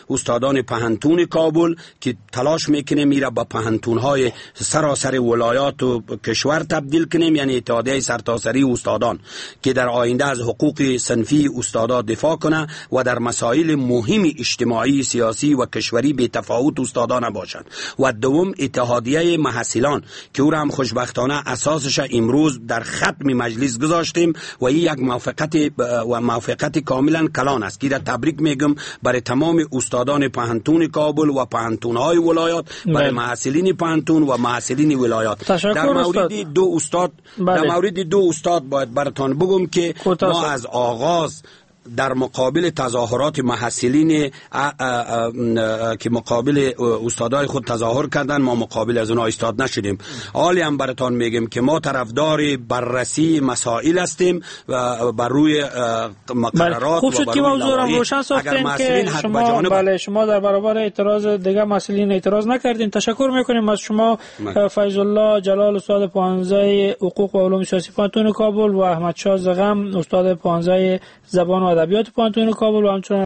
استادان پهنتون کابل که تلاش میکنیم میره با پهنتون‌های سراسر ولایات و کشور تبدیل کنیم، یعنی اتحادیه سرتاسری استادان که در آینده از حقوق صنفی استادا دفاع کنه و در مسائل مهم اجتماعی، سیاسی و کشوری بی تفاوت استادان باشند. و دوم اتحادیه محصلان که او را هم خوشبختانه اساسش امروز در ختم مجلس گذاشتیم و این یک موافقت و موافقت کاملا کلان است که را تبریک میگم برای تمام استادان پهنتون کابل و پهنتون‌های ولایات، برای محصلین پهنتون و محصلین ولایات. در مورد دو استاد، در مورد دو استاد باید براتان بگم که ما از آغاز در مقابل تظاهرات محصلین که مقابل استادای خود تظاهر کردن، ما مقابل از اونها ایستاد نشدیم. حالی هم براتان میگیم که ما طرفدار بررسی مسائل هستیم و بر روی مقررات. خوب شد که موضوع را روشن ساختیم که شما بله شما در برابر اعتراض دیگه محصلین اعتراض نکردین. تشکر میکنیم از شما فیض الله جلال، استاد 15 حقوق و علوم سیاسی پوهنتون کابل، و احمد شاه زغم، استاد 15 زبان و ادبیات پوهنتون کابل، و همچنین